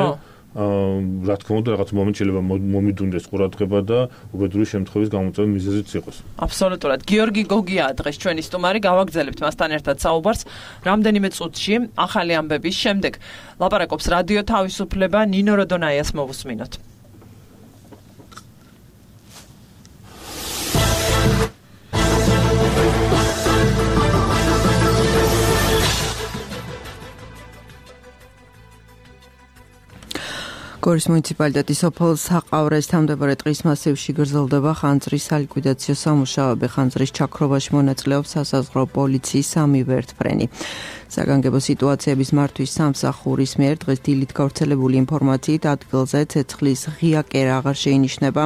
რა თქმა უნდა რაღაც მომენტ შეიძლება მომიდუნდეს ყურადღება და უბედური შემთხვევის გამოწვევის მიზეზიც იყოს. აბსოლუტურად. გიორგი გოგია დღეს ჩვენი სტუმარი, გავაგრძელებთ მასთან ერთად საუბარს რამდენიმე წუთში ახალი ამბების შემდეგ. ლაპარაკობს რადიო თავისუფლება, ნინო როდონაიას მოვუსმინოთ. გორის მუნიციპალიტეტის სოფელ საყავრეს თავმდებარე ტყის მასივში გრძელდება ხანძრის სალიკვიდაციო სამუშაოები. ხანძრის ჩაქრობაში მონაწილეობს სასაზღვრო პოლიციის სამი ვერტმფრენი. საგანგებო სიტუაციების მართვის სამსახურის მიერ დღეს დილით გავრცელებული ინფორმაციით ადგილზე ცეცხლის ღია კერა აღარ შეინიშნება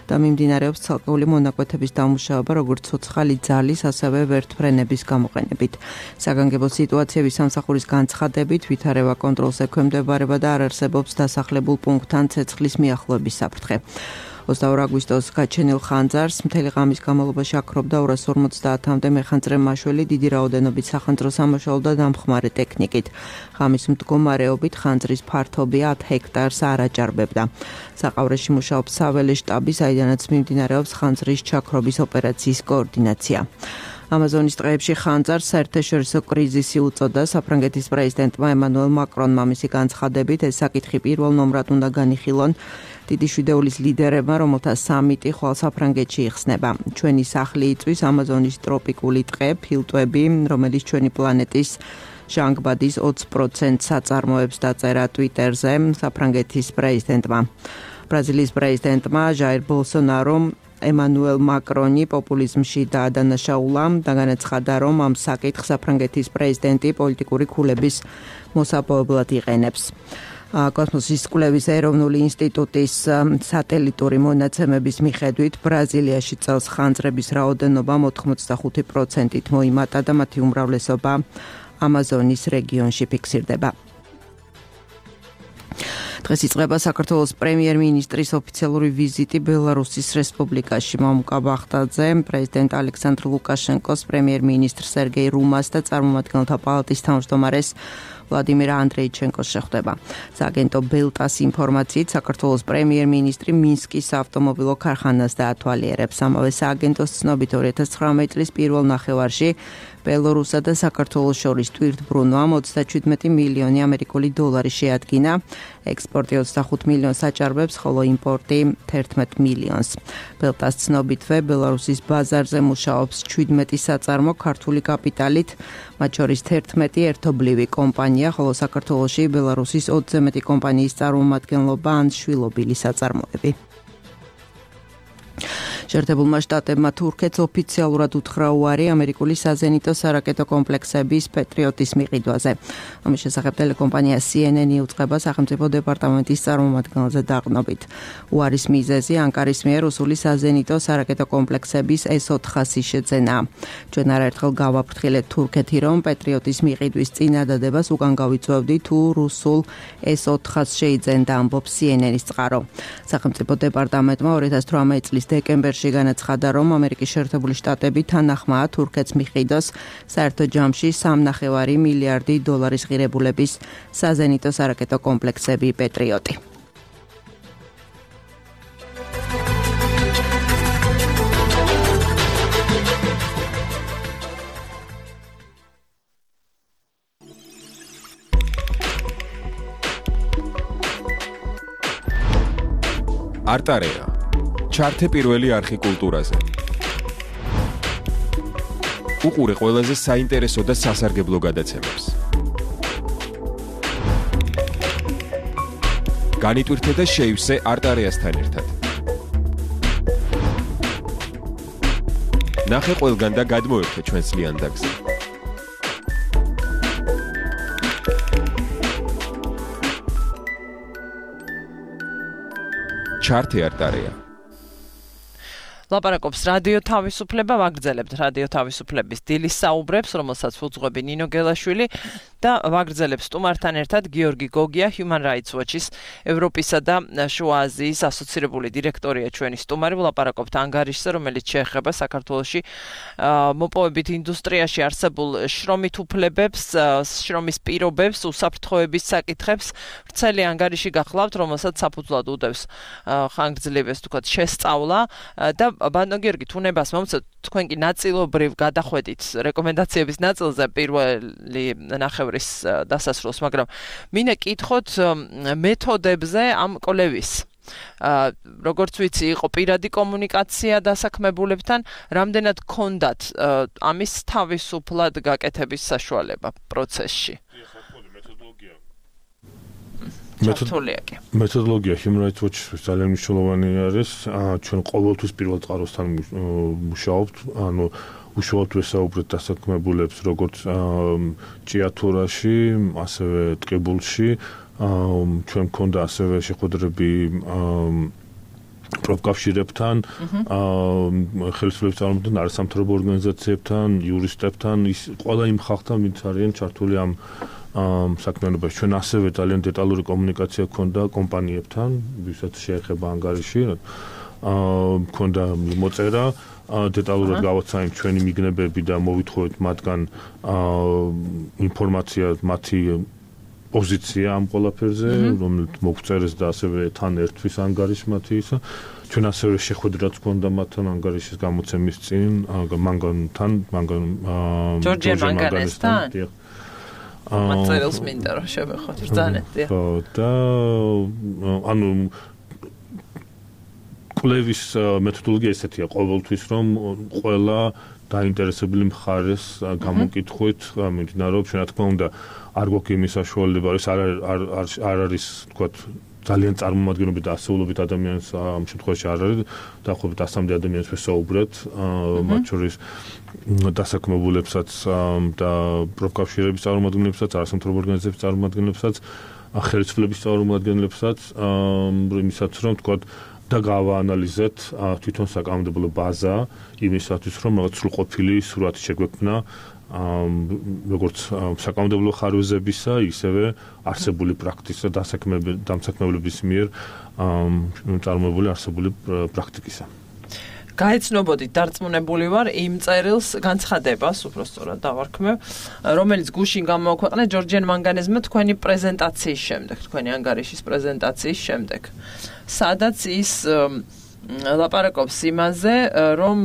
და მიმდინარეობს ცალკეული მონაკვეთების დამუშავება, როგორც ცოცხალი ძალის, ასევე ვერტმფრენების გამოყენებით. საგანგებო სიტუაციების სამსახურის განცხადებით ვითარება კონტროლს ექვემდებარება და არ არსებობს დასახლებულ პუნქტთან ცეცხლის მიახლოების საფრთხე. ოცდაორი აგვისტოს გაჩენილ ხანძარს მთელი ღამის განმავლობაში აქრობდა ორას ორმოცდაათამდე მეხანძრე მაშველი დიდი რაოდენობით სახანძრო სამაშველო და დამხმარე ტექნიკით. ღამის მდგომარეობით ხანძრის ფართობი ათ ჰექტარს არ აჭარბებდა. საყავრეში მუშაობს საველე შტაბი, საიდანაც მიმდინარეობს ხანძრის ჩაქრობის ოპერაციის კოორდინაცია. ამაზონის ტყეებში ხანძარს საერთაშორისო კრიზისი უწოდა. საფრანგეთის პრეზიდენტმა ემანუელ მაკრონმა მისი განცხადებით ეს საკითხი პირველ ნომრად უნდა განიხილონ დიდი შვიდეულის ლიდერებმა, რომელთა სამიტი ხვალ საფრანგეთში იხსნება. ჩვენი სახლი იწვის ამაზონის ტროპიკული ტყე, ფილტვები, რომელიც ჩვენი პლანეტის ჟანგბადის ოცი პროცენტს აწარმოებს, დაწერა ტვიტერზე საფრანგეთის პრეზიდენტმა. ბრაზილიის პრეზიდენტმა ჟაირ ბოლსონარომ ემანუელ მაკრონი პოპულიზმში დაადანაშაულა და განაცხადა, რომ ამ საკითხს საფრანგეთის პრეზიდენტი პოლიტიკური ქულების მოსაპოვებლად იყენებს. კოსმოსის კვლევის ეროვნული ინსტიტუტის სატელიტური მონაცემების მიხედვით ბრაზილიაში წელს ხანძრების რაოდენობა ოთხმოცდახუთი პროცენტით მოიმატა და მათი უმრავლესობა ამაზონის რეგიონში ფიქსირდება. დღეს იწყება საქართველოს პრემიერ-მინისტრის ოფიციალური ვიზიტი ბელარუსის რესპუბლიკაში. მამუკა ბახტაძე, პრეზიდენტ ალექსანდრ ლუკაშენკოს, პრემიერ-მინისტრ სერგეი რუმას და წარმომადგენელთა პალატის თავმჯდომარეს ვლადიმირ ანდრეიჩენკოს შეხვდება. სააგენტო ბელტას ინფორმაციით საქართველოს პრემიერ-მინისტრი მინსკის ავტომობილო ქარხანას დაათვალიერებს. ამავე სააგენტოს ცნობით ორი ათას ცხრამეტი წლის პირველ ნახევარში ბელორუსსა და საქართველოს შორის ტვირთბრუნვამ ოცდაჩვიდმეტი მილიონი ამერიკული დოლარი შეადგინა. ექსპორტი ოცდახუთ მილიონს აჭარბებს, ხოლო იმპორტი თერთმეტ მილიონს. ბელტას ცნობითვე ბელარუსის ბაზარზე მუშაობს შვიდმეტი საწარმო ქართული კაპიტალით, მათ შორის თერთმეტი ერთობლივი კომპანია, ხოლო საქართველოში ბელარუსის ოცზე მეტი კომპანიის წარმომადგენლობა ან შვილობილი საწარმოები. შეერთებულმა შტატებმა თურქეთს ოფიციალურად უთხრა უარი ამერიკული საზენიტო სარაკეტო კომპლექსების პეტრიოტის მიყიდვაზე. ამის შესახებ ტელეკომპანია სი ენ ენ იუწყება სახელმწიფო დეპარტამენტის წარმომადგენელზე დაყრდნობით. უარის მიზეზი ანკარის მიერ რუსული საზენიტო სარაკეტო კომპლექსების ეს ოთხასი შეძენაა. ჩვენ არაერთხელ გავაფრთხილეთ თურქეთი, რომ პეტრიოტის მიყიდვის წინადადებას უკან გავიწვევდი თუ რუსულ ეს ოთხას შეიძენდა, ამბობს სი ენ ენის წყარო. სახელმწიფო დეპარტამენტმა ორი ათას თვრამეტი წლის დეკემბერში განაცხადა, რომ ამერიკის შეერთებული შტატები თანახმაა თურქეთს მიყიდოს საერთო ჯამში სამნახევარი მილიარდი დოლარის ღირებულების საზენიტო სარაკეტო კომპლექსები პეტრიოტი. არტარეა ჩართე პირველი არხი კულტურაზე. უყურე ყველაზე საინტერესო და სასარგებლო გადაცემებს. განიტვირთე და შეივსე არტარიასთან ერთად. ნახე ყველგან და გადმოერთე ჩვენს ლიანდაგზე. ჩარტი არტარია. ლაპარაკობს რადიო თავისუფლება, ვაგრძელებთ რადიო თავისუფლების დილის საუბრებს, რომელსაც უძღვები ნინო გელაშვილი და ვაგრძელებს სტუმართან ერთად გიორგი გოგია, Human Rights Watch-ის ევროპისა და შუა აზიის ასოცირებული დირექტორია ჩვენი სტუმარი. ვლაპარაკობთ ანგარიშზე, რომელიც შეეხება საქართველოში მოპოვებით ინდუსტრიაში არსებულ შრომით უფლებებს, შრომის პირობებს, უსაფრთხოების საკითხებს. ვრცელი ანგარიში გახლავთ, რომელსაც საფუძვლად უდევს ხანგრძლივეს თქვათ შესწავლა და ბატონო გიორგი, თუნებას მომცეთ, თქვენ კი ნაწილობრივ გადახვედით რეკომენდაციების ნაწილზე პირველი ნახევრის დასასრულს, მაგრამ მინდა კითხოთ მეთოდებზე ამ კვლევის. როგორც ვიცი, იყო პირადი კომუნიკაცია დასაქმებულებთან, რამდენად გქონდათ ამის თავისუფლად გაკეთების საშუალება პროცესში? მეთოდოლოგია Human Rights Watch-ის ძალიან მნიშვნელოვანი არის. ჩვენ ყოველთვის პირველ წყაროსთან მუშაობთ, ანუ უშუალოდ ვესაუბრეთ დასაქმებულებს როგორც ჭიათურაში, ასევე ტყიბულში. ჩვენ მქონდა ასევე შეხვედრები პროფკავშირებთან, ხელისუფლების წარმომადგენლებთან, არასამთავრობო ორგანიზაციებთან, იურისტებთან, ის ყველა იმ ხალხთან, ვინც არიან ჩართული ამ საქმიანობაში. ჩვენ ასევე ძალიან დეტალური კომუნიკაცია გქონდა კომპანიებთან, ვისაც შეეხება ანგარიში. მქონდა მოწერა, დეტალურად გავაცანით ჩვენი მიგნებები და მოვითხოვეთ მათგან ინფორმაცია, მათი პოზიცია ამ ყველაფერზე, რომელიც მოგწერეს და ასევე თან ერთვის ანგარიშს მათი ისა. ჩვენ ასევე შეხვედრაც გქონდა მათთან ანგარიშის გამოცემის წინ, მანგანთან, მანგან ჯორჯი მანგანესთან. მაწერილს მინდა რომ შევეხოთ ბრძანეთ. ხო და ანუ კვლევის მეთოდოლოგია ესეთია ყოველთვის, რომ ყველა დაინტერესებული მხარეს გამოკითხვით მიმდინარეობს. რა თქმა უნდა, არ გვაქვს იმის საშუალება, ის არ არ არის თქვათ ძალიან წარმომადგენლობით და ასეულობით ადამიანს ამ შემთხვევაში არ არის, დაახლოებით ასამდე ადამიანს ვესაუბრეთ, მათ შორის დასაქმებულებსაც და პროფკავშირების წარმომადგენლებსაც, არასამთავრობო ორგანიზაციების წარმომადგენლებსაც, ხელისუფლების წარმომადგენლებსაც, იმისაც რომ თქვათ და გავაანალიზეთ თვითონ საკანონმდებლო ბაზა იმისათვის, რომ რაღაც სრულყოფილი სურათი შეგვექმნა როგორც საკანონმდებლო ხარვეზებისა, ისევე არსებული პრაქტიკისა და დამსაქმებლების მიერ წარმოებული არსებული პრაქტიკისა. გაეცნობოდით, დარწმუნებული ვარ იმ წერილს განცხადებას, უბრალოდ დავარქმევ, რომელიც გუშინ გამოაქვეყნა ჯორჯიან მანგანეზმა თქვენი პრეზენტაციის შემდეგ, თქვენი ანგარიშის პრეზენტაციის შემდეგ. სადაც ის ლაპარაკობს იმაზე, რომ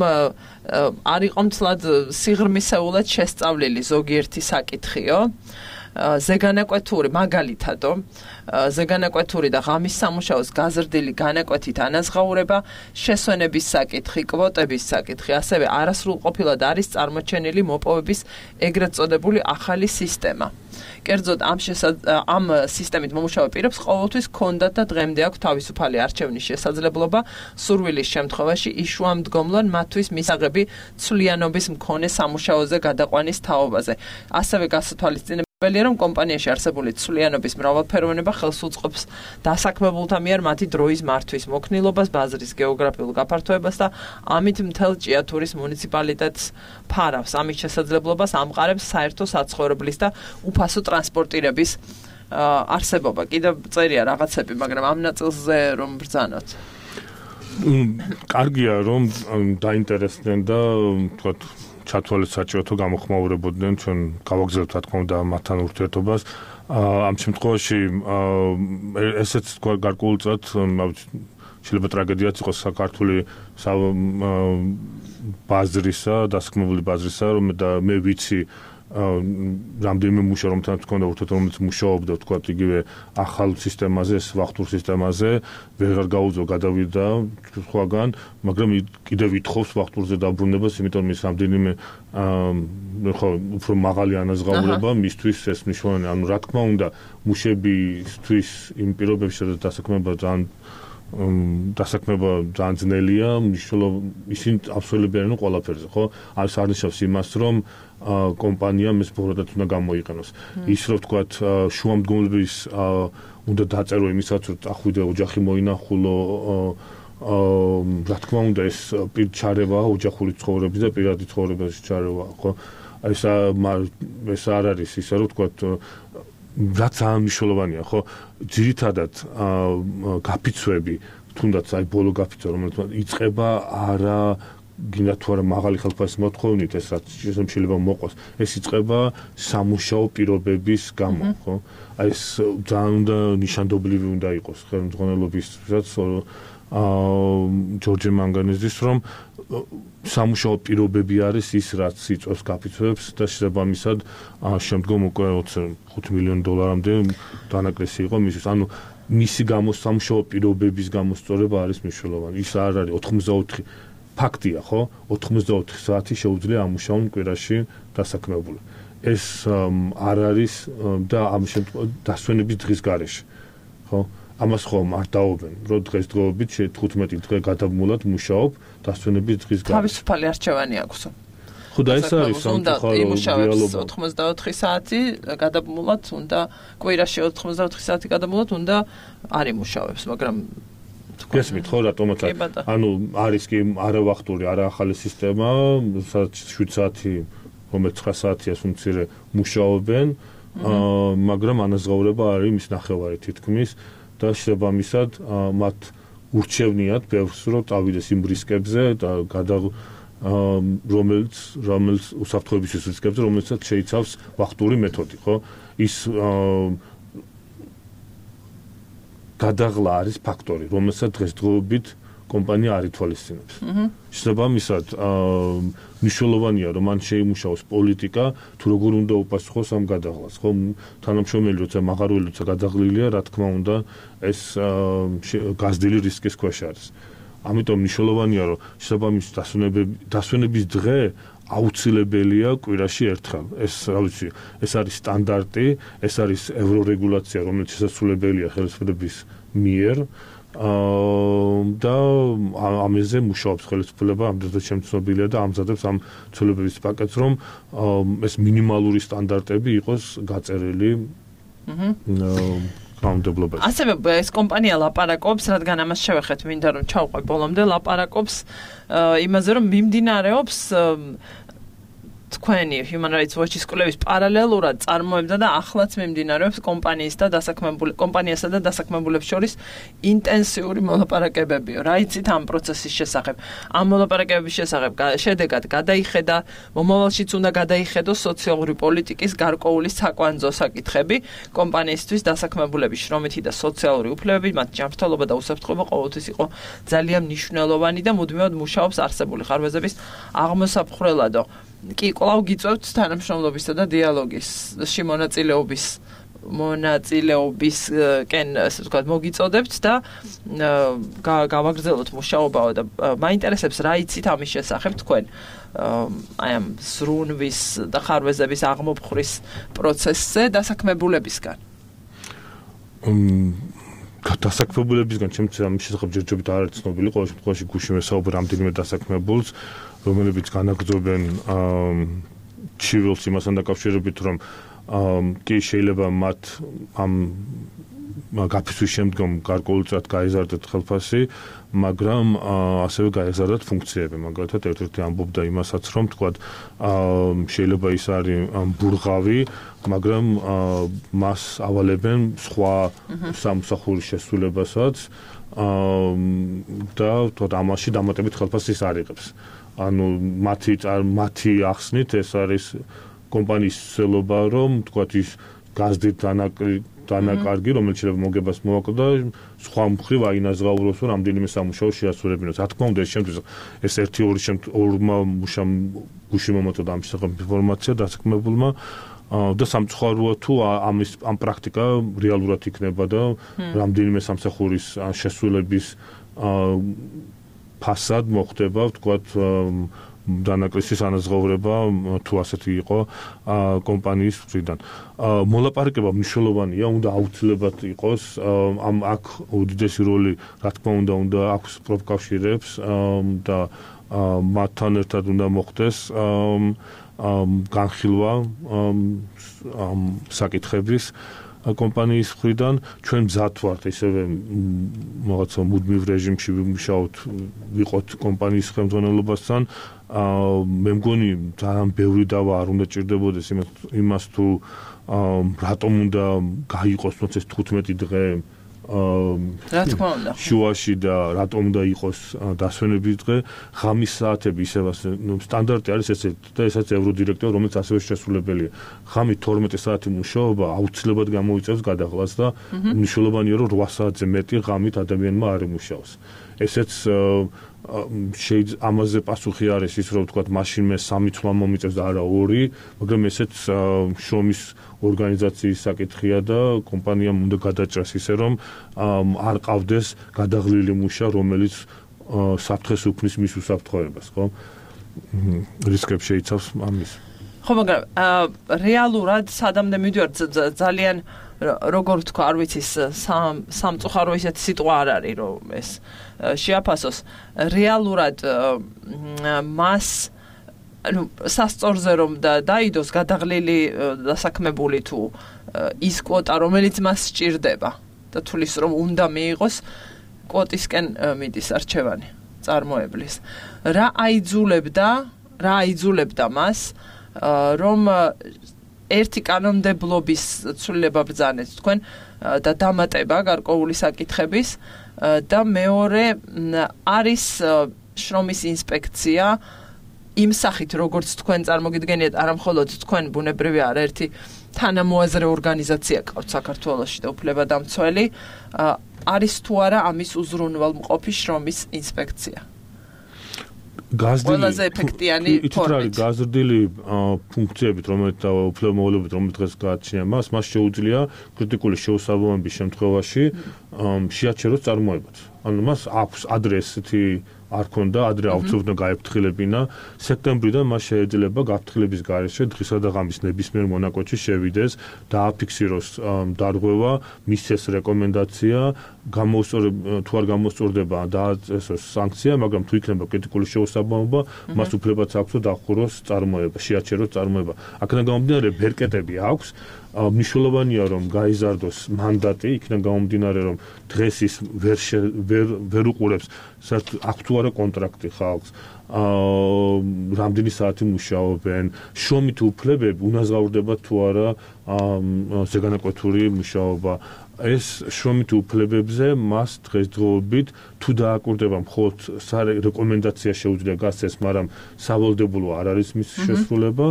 არ იყო მთლად სიღრმისეულად შესწავლილი ზოგიერთი საკითხიო, ზეგანაკვეთური მაგალითადო, ზეგანაკვეთური და ღამის სამუშაოს გაზრდილი განაკვეთით ანაზღაურება, შესვენების საკითხი, კვოტების საკითხი, ასევე არასრულყოფილად არის წარმოჩენილი მოპოვების ეგრეთ წოდებული ახალი სისტემა. კერძოდ ამ ამ სისტემით მომუშავე პირებს ყოველთვის ჰქონდათ და დღემდე აქვს თავისუფალი არჩევნის შესაძლებლობა სურვილის შემთხვევაში იშუამდგომლონ მათთვის მისაღები ცვლიანობის მქონე სამუშაოზე გადაყვანის თაობაზე. ასევე გასათვალისწინებელია, რომ კომპანიაში არსებული ცვლიანობის მრავალფეროვნება ხელს უწყობს დასაქმებულთა მიერ მათი დროის მართვის მოქნილობას, ბაზრის გეოგრაფიულ გაფართოებას და ამით მთელ ჭიათურის მუნიციპალიტეტს ფარავს. ამის შესაძლებლობას ამყარებს საერთო საცხოვრებლის და უფასო ტრანსპორტირების არსებობა. კიდევ წერია რაღაცები, მაგრამ ამ ნაწილზე რომ ბრძანოთ. კარგია რომ დაინტერესდნენ და თქვათ ჩათვალეს საჭიროთო გამოხმაურებოდნენ, ჩვენ გავაგზავნებთ რა თქმა უნდა მათთან ურთიერთობას. ამ შემთხვევაში ესეც გარკვეულწილად შეიძლება ტრაგედიაც იყოს საქართველოს ბაზრისა, დასაქმებული ბაზრისა, რომ და მე ვიცი რამდენიმე მუშა რომთან თქონდა ურთიერთ რომელიც მუშაობდა თქვა იგივე ახალ სისტემაზე, ვახტურ სისტემაზე, ვეღარ გაუძლო გადავიდა სხვაგან, მაგრამ კიდევ ვითხოვს ვახტურზე დაბრუნებას, იმიტომ ის რამდენიმე ხო უფრო მაღალი ანაზღაურება მისთვის ეს მნიშვნელოვანია. ანუ რა თქმა უნდა, მუშებისთვის იმ პირობებში სადაც დასაქმება ძალიან დასაქმება ძალიან ძნელია, მნიშვნელოვანი ისინი აბსოლუტურად ყველაფერზე, ხო? არის არნიშნავს იმას, რომ კომპანიამ ეს ბოროტად უნდა გამოიყენოს. ის რომ ვთქვათ, შუამდგომლების უნდა დაწერო იმისაც, რომ ახვიდე ოჯახი მოინახულო, რა თქმა უნდა ეს პირ ჩარევა ოჯახური ცხოვრების და პირადი ცხოვრების ჩარევა, ხო? ეს ეს არ არის ისე რომ ვთქვათ რაც ძალიან მნიშვნელოვანია, ხო? ძირითადად გაფიცვები, თუნდაც აი ბოლო გაფიცვა, რომელიც იწყება არა გინდა თუ არა მაღალი ხელფასის მოთხოვნით, ეს რაც შეიძლება მოყოს, ეს იწყება სამუშაო პირობების გამო, ხო? აი ეს ძალიან უნდა ნიშანდობლივი უნდა იყოს ხელმძღვანელობისთვისაც აა ჯორჯე მანგანეზის რომ სამუშაო პირობები არის ის რაც იწვევს გაფიცვებს და შესაბამისად შემდგომ უკვე ხუთი მილიონი დოლარამდე დანაკლისი იყო მისთვის. ანუ მისი გამოსამუშაო პირობების გამოსწორება არის მნიშვნელოვანი. ის არ არის ოთხმოცდაოთხი ფაქტია, ხო? ოთხმოცდაოთხი საათი შეუძლია ამუშაონ კვირაში დასაქმებული. ეს არ არის და ამ შემთხვევაში დასვენების დღის გარეშე, ხო? ამას ხომ არ დაობენ, რომ დღესდღეობით თხუთმეტი დღე გადამულად მუშაობ დასვენების დღის გარეშე. თავისუფალი არჩევანი აქვს. ხო და ეს არის სამწუხარო იმუშავებს ოთხმოცდაოთხი საათი გადამულად უნდა კვირაში ოთხმოცდაოთხი საათი გადამულად უნდა არ იმუშავებს, მაგრამ გესმით ხო რატომაც ანუ არის კი არავახტური, არა ახალი სისტემა, სადაც შვიდ საათი, რომელიც ცხრა საათია უმცირე მუშაობენ, მაგრამ ანაზღაურება არის მის ნახევარი თითქმის და შესაბამისად მათ ურჩევნიათ ბევრს რომ წავიდეს იმ რისკებზე და გადა რომელიც რომელიც უსაფრთხოების რისკებზე რომელსაც შეიცავს ვახტური მეთოდი, ხო? ის გადაღლა არის ფაქტორი, რომელსაც დღესდღეობით კომპანია არ ითვალისწინებს. შესაბამისად, მნიშვნელოვანია, რომ მან შეიმუშაოს პოლიტიკა, თუ როგორ უნდა უპასუხოს ამ გადაღლას, ხო? თანამშრომელი როცა მაღარველი როცა გადაღლილია, რა თქმა უნდა, ეს გაზრდილი რისკის ქვეშ არის. ამიტომ მნიშვნელოვანია, რომ შესაბამის დასვენების დღე აუცილებელია კვირაში ერთხელ. ეს, რა ვიცი, ეს არის სტანდარტი, ეს არის ევრორეგულაცია, რომელიც შესაძლებელია ხელისუფლების მიერ. და ამაზე მუშაობს ხელისუფლება, ამდენად შემცნობილია და ამზადებს ამ ცვლილებების პაკეტს, რომ ეს მინიმალური სტანდარტები იყოს გაწერილი. აჰა. კანონმდებლობაში. ასევე ეს კომპანია ლაპარაკობს, რადგან ამას შევეხეთ, მინდა რომ ჩავყვე ბოლომდე, ლაპარაკობს იმაზე, რომ მიმდინარეობს თქვენი Human Rights Watch-ის კვლევის პარალელურად წარმოებდა და ახლაც მიმდინარეობს კომპანიის და დასაქმებული კომპანიასა და დასაქმებულებს შორის ინტენსიური მოლაპარაკებებიო. რა იცით ამ პროცესის შესახებ? ამ მოლაპარაკებების შესახებ შედეგად გადაიხედა, მომავალშიც უნდა გადაიხედოს სოციალური პოლიტიკის გარკვეული საკვანძო საკითხები, კომპანიისთვის დასაქმებულების შრომითი და სოციალური უფლებები, მათ ჯანმრთელობა და უსაფრთხოება ყოველთვის იყო ძალიან მნიშვნელოვანი და მუდმივად მუშაობს არსებული ხარვეზების აღმოსაფხრელადო. კი, კვლავ გიწევთ თანამშრომლობისა და დიალოგისში მონაწილეობის მონაწილეობისკენ, ასე ვთქვათ, მოგიწოდებთ და გავაგრძელოთ მუშაობაო და მაინტერესებს რა იცით ამის შესახებ თქვენ აი ამ ზრუნვის და ხარვეზების აღმოფხვრის პროცესზე დასაქმებულებისგან. დასაქმებულებისგან ჩემთვის ამის შესახებ ჯერჯერობით არ არის ცნობილი, ყოველ შემთხვევაში გუშინ ვესაუბრე რამდენიმე დასაქმებულს, რომელებიც განაგრძობენ ჩივილს იმასთან დაკავშირებით, რომ კი შეიძლება მათ ამ გაფიცვის შემდგომ გარკვეულწილად გაეზარდათ ხელფასი, მაგრამ ასევე გაეზარდათ ფუნქციები. მაგალითად, ერთ-ერთი ამბობდა იმასაც, რომ თქვათ, შეიძლება ის არის ბურღავი, მაგრამ მას ავალებენ სხვა სამსახურის შესრულებასაც და თქო ამაში დამატებით ხელფასის არ იღებს. ანუ მათი მათი ახსნით ეს არის კომპანიის ცელობა, რომ თქვათ ის გაზრდით დანაკარგი, რომელიც შეიძლება მოგებას მოაკლდა, სხვა მხრივ აინაზღაუროს, რომ რამდენიმე სამუშაო შეასრულებინოს. რა თქმა უნდა, ეს შემთხვევაში ეს ერთი ორი ორმა მუშამ გუში მომაწოდა ამ შესახებ ინფორმაცია დასაქმებულმა და სამწუხაროა თუ ამის ამ პრაქტიკა რეალურად იქნება და რამდენიმე სამსახურის შესრულების ფასად მოხდება, ვთქვათ, დანაკლისის ანაზღაურება თუ ასეთი იყო კომპანიის მხრიდან. მოლაპარაკება მნიშვნელოვანია, უნდა აუცილებლად იყოს ამ აქ უდიდესი როლი, რა თქმა უნდა, უნდა აქვს პროფკავშირებს და მათთან ერთად უნდა მოხდეს განხილვა ამ საკითხების კომპანიის მხრიდან. ჩვენ მზად ვართ ისევე რაღაცა მუდმივ რეჟიმში ვიმუშაოთ, ვიყოთ კომპანიის ხელმძღვანელობასთან. მე მგონი ძალიან ბევრი დავა არ უნდა ჭირდებოდეს იმას თუ რატომ უნდა გაიყოს თუნდაც ეს თხუთმეტი დღე რა თქმა უნდა შუაში და რატომ უნდა იყოს დასვენების დღე, ღამის საათები ისევ ნუ სტანდარტი არის ესეთ და ესაც ევროდირექტორი, რომელიც ასევე შესრულებელია. ღამით თორმეტი საათი მუშაობა აუცილებლად გამოიწევს გადაღლას და მნიშვნელოვანია რომ რვა საათზე მეტი ღამით ადამიანმა არ იმუშაოს. ესეც შეიძლება ამაზე პასუხი არის ის რომ ვთქვათ მაშინ მე სამი თვლა მომიწევს და არა ორი, მაგრამ ესეც შრომის ორგანიზაციის საკითხია და კომპანიამ უნდა გადაჭრას ისე რომ არ ყავდეს გადაღლილი მუშა, რომელიც საფრთხეს უქმნის მის უსაფრთხოებას, ხო? რისკებს შეიცავს ამის. ხო, მაგრამ რეალურად სადამდე მივიდივარ ძალიან როგორ თქვა, არ ვიცი, სამწუხარო ისეთი სიტყვა არ არის, რომ ეს შეაფასოს. რეალურად მას ანუ სასწორზე რომ დაიდოს გადაღლილი დასაქმებული თუ ის კვოტა, რომელიც მას სჭირდება და თulis რომ უნდა მიიღოს, კვოტისკენ მიდის არჩევანი წარმოებლის. რა აიძულებდა, რა აიძულებდა მას, რომ ერთი კანონმდებლობის ცვლილება ბრძანეთ თქვენ და დამატება გარკვეული საკითხების და მეორე არის შრომის ინსპექცია იმ სახით როგორც თქვენ წარმოგიდგენიათ, არა მხოლოდ თქვენ ბუნებრივია არაერთი თანამოაზრე ორგანიზაცია ყავთ საქართველოში და უფლებადამცველი, არის თუ არა ამის უზრუნველმყოფი შრომის ინსპექცია. გაზრდილი ეფექტიანი ფორმით. გაზრდილი ფუნქციებით, რომელიც და უფლებამოვალეობით, რომელიც დღეს გააჩნია მას, მას შეუძლია კრიტიკული შეუსაბამობის შემთხვევაში შეაჩეროს წარმოებაც. ანუ მას აქვს ადრე ესეთი არ ქონდა, ადრე აუცილებლად გაეფრთხილებინა. სექტემბრიდან მას შეიძლება გაფრთხილების გარეშე დღისა და ღამის ნებისმიერ მონაკვეთში შევიდეს, დააფიქსიროს დარღვევა, მისცეს რეკომენდაცია, გამოსწორება თუ არ გამოსწორდება დააწესოს სანქცია, მაგრამ თუ იქნება კრიტიკული შეუსაბამობა, მას უფლებაც აქვს დახუროს წარმოება, შეაჩეროს წარმოება. აქედან გამომდინარე ბერკეტები აქვს. მნიშვნელოვანია რომ გაიზარდოს მანდატი, იქიდან გამომდინარე რომ დღეს ის ვერ ვერ ვერ უყურებს საერთოდ აქვს თუ არა კონტრაქტი ხალხს, რამდენი საათი მუშაობენ, შრომით უფლებები უნაზღაურდება თუ არა ზეგანაკვეთური მუშაობა. ეს შრომით უფლებებზე მას დღესდღეობით თუ დააკურდება მხოლოდ რეკომენდაცია შეუძლია გასცეს, მაგრამ სავალდებულო არ არის მის შესრულება.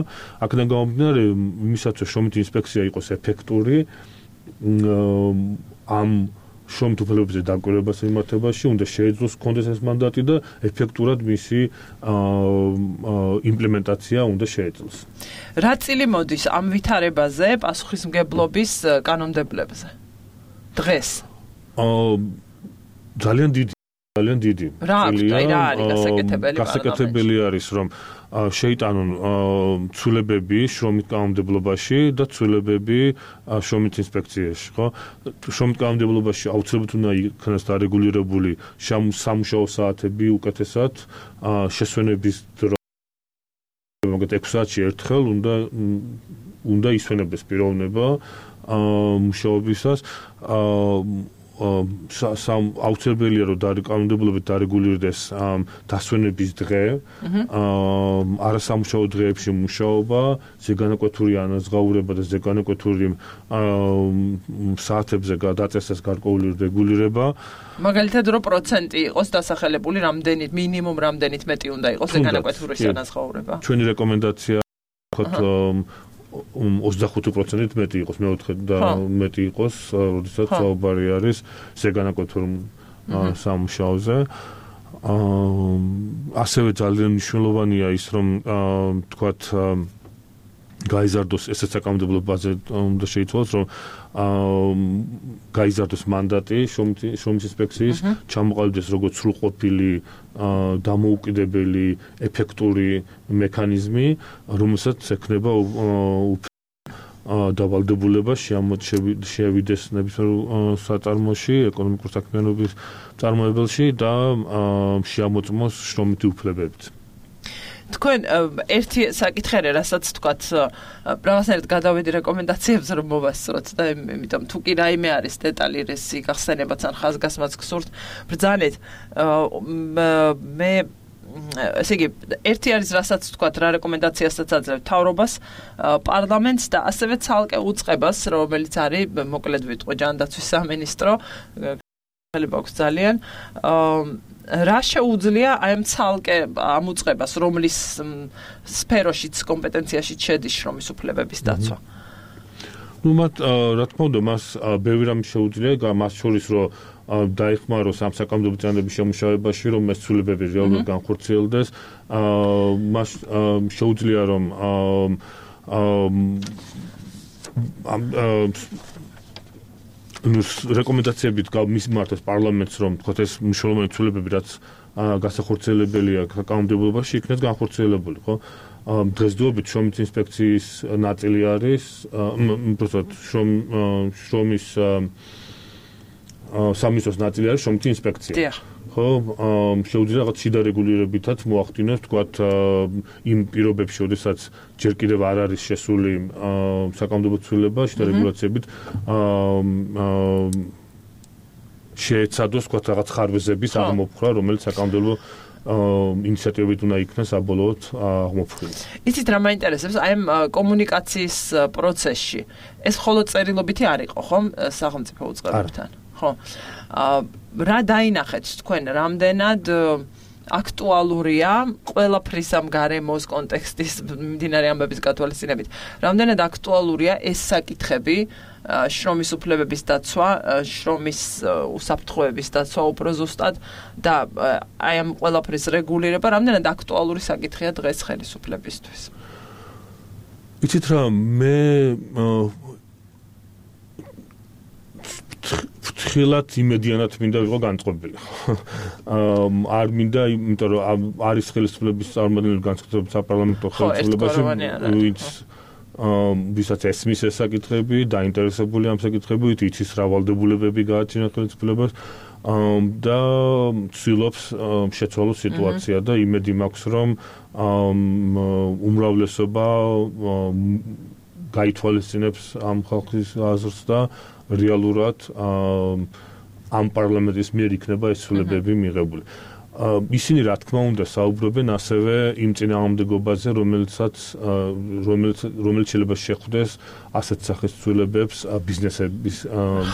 აქედან გამომდინარე, იმისაც რომ შრომით ინსპექცია იყოს ეფექტური, ამ შრომით უფლებებზე დაკვირვებას მიმართებაში უნდა შეეძლოს კონდეს ეს მანდატი და ეფექტურად მისი იმპლემენტაცია უნდა შეეძლოს. რა წილი მოდის ამ ვითარებაზე პასუხისმგებლობის კანონმდებლებზე? დღეს. აა ძალიან დიდი, ძალიან დიდი. რა არის გასაკეთებელი? გასაკეთებელი არის რომ შეიტანონ ცვლილებები შრომით კანონმდებლობაში და ცვლილებები შრომით ინსპექციაში, ხო? შრომით კანონმდებლობაში აუცილებლად უნდა იქნას დარეგულირებული სამუშაო საათები უკეთესად, შესვენების დრო მაგათ ექვსი საათში ერთხელ უნდა უნდა ისვენებდეს პიროვნება მუშაობისას. სამ აუცილებელია რომ კანონმდებლობით დარეგულირდეს დასვენების დღე, არასამუშაო დღეებში მუშაობა, ზეგანაკვეთური ანაზღაურება და ზეგანაკვეთური საათებზე გადაწესას გარკვეული რეგულირება. მაგალითად რო პროცენტი იყოს დასახელებული, რამდენით მინიმუმ რამდენით მეტი უნდა იყოს ზეგანაკვეთურის ანაზღაურება. ჩვენი რეკომენდაცია ვთქვათ ოცდახუთი პროცენტით მეტი იყოს, მეოთხე და მეტი იყოს, როდესაც საუბარი არის ზეგანაკვეთურ სამუშაოზე. ასევე ძალიან მნიშვნელოვანია ის, რომ თქვათ გაიზარდოს ესეც საკანონმდებლო ბაზე უნდა შეიცვალოს, რომ გაიზარდოს მანდატი შრომის ინსპექციის, ჩამოყალიბდეს როგორც სრულყოფილი, დამოუკიდებელი, ეფექტური მექანიზმი, რომელსაც ექნება დავალდებულება შეავიდეს ნებისმიერ საწარმოში, ეკონომიკურ საქმიანობის წარმოებელში და შეამოწმოს შრომითი უფლებებით. თქვენ ერთი საკითხი არის, რასაც თქვათ, რაღაცნაირად გადავედი რეკომენდაციებს რომ მოვასწროთ და იმიტომ თუ კი რაიმე არის დეტალი რესი გახსენებაც ან ხაზგასმაც გსურთ, ბრძანეთ. მე ესე იგი, ერთი არის, რასაც თქვათ, რა რეკომენდაციასაც აძლევთ მთავრობას, პარლამენტს და ასევე ცალკე უწყებას, რომელიც არის, მოკლედ ვიტყვი, ჯანდაცვის სამინისტრო, ხელება აქვს ძალიან. რა შეუძლია აი ამ ცალკე ამ უწყებას, რომლის სფეროშიც კომპეტენციაში შედის შრომის უფლებების დაცვა? ნუ მათ რა თქმა უნდა, მას ბევრი რამ შეუძლია, მას შორის რომ დაიხმაროს ამ საკანონმდებლო წინადადების შემუშავებაში, რომ ეს ცვლილებები რეალურად განხორციელდეს, მას შეუძლია რომ რეკომენდაციებით გამისმართოს პარლამენტს, რომ თქვათ ეს მნიშვნელოვანი ცვლილებები, რაც გასახორციელებელია საკანონმდებლობაში, იქნეს განხორციელებული, ხო? დღესდღეობით შრომის ინსპექციის ნაწილი არის, უბრალოდ შრომის სამინისტროს ნაწილი არის შრომითი ინსპექცია. ხო, შეუძლია რაღაც შიდა რეგულირებითაც მოახდინოს, თქვათ, იმ პირობებში, როდესაც ჯერ კიდევ არ არის შესული საკანონმდებლო ცვლილება, შიდა რეგულაციებით შეეცადოს, თქვათ, რაღაც ხარვეზების აღმოფხვრა, რომელიც საკანონმდებლო ინიციატივით უნდა იქნას საბოლოოდ აღმოფხვრილი. იცით რა მაინტერესებს, აი ამ კომუნიკაციის პროცესში ეს მხოლოდ წერილობითი არ იყო, ხო, სახელმწიფო უწყებებთან? ხო. რა დაინახეთ თქვენ, რამდენად აქტუალურია ყველაფრის ამ გარემოს კონტექსტის მიმდინარე ამბების გათვალისწინებით, რამდენად აქტუალურია ეს საკითხები, შრომის უფლებების დაცვა, შრომის უსაფრთხოების დაცვა უფრო ზუსტად და აი ამ ყველაფრის რეგულირება, რამდენად აქტუალური საკითხია დღეს ხელისუფლებისთვის? იცით რა, მე ფრთხილად იმედიანად მინდა ვიყო განწყობილი. არ მინდა, იმიტომ რომ არის ხელისუფლების წარმომადგენელი განსაკუთრებით საპარლამენტო ხელისუფლებაში, ვინც ვისაც ესმის ეს საკითხები, დაინტერესებული ამ საკითხებით, იცის რა ვალდებულებები გააჩნია ხელისუფლებას და ცდილობს შეცვალოს სიტუაცია და იმედი მაქვს, რომ უმრავლესობა გაითვალისწინებს ამ ხალხის აზრს და რეალურად ამ პარლამენტის მიერ იქნება ეს ცვლილებები მიღებული. ისინი რა თქმა უნდა საუბრობენ ასევე იმ წინააღმდეგობაზე, რომელიცაც რომელიც რომელიც შეიძლება შეხვდეს ასეთ სახის ცვლილებებს ბიზნესების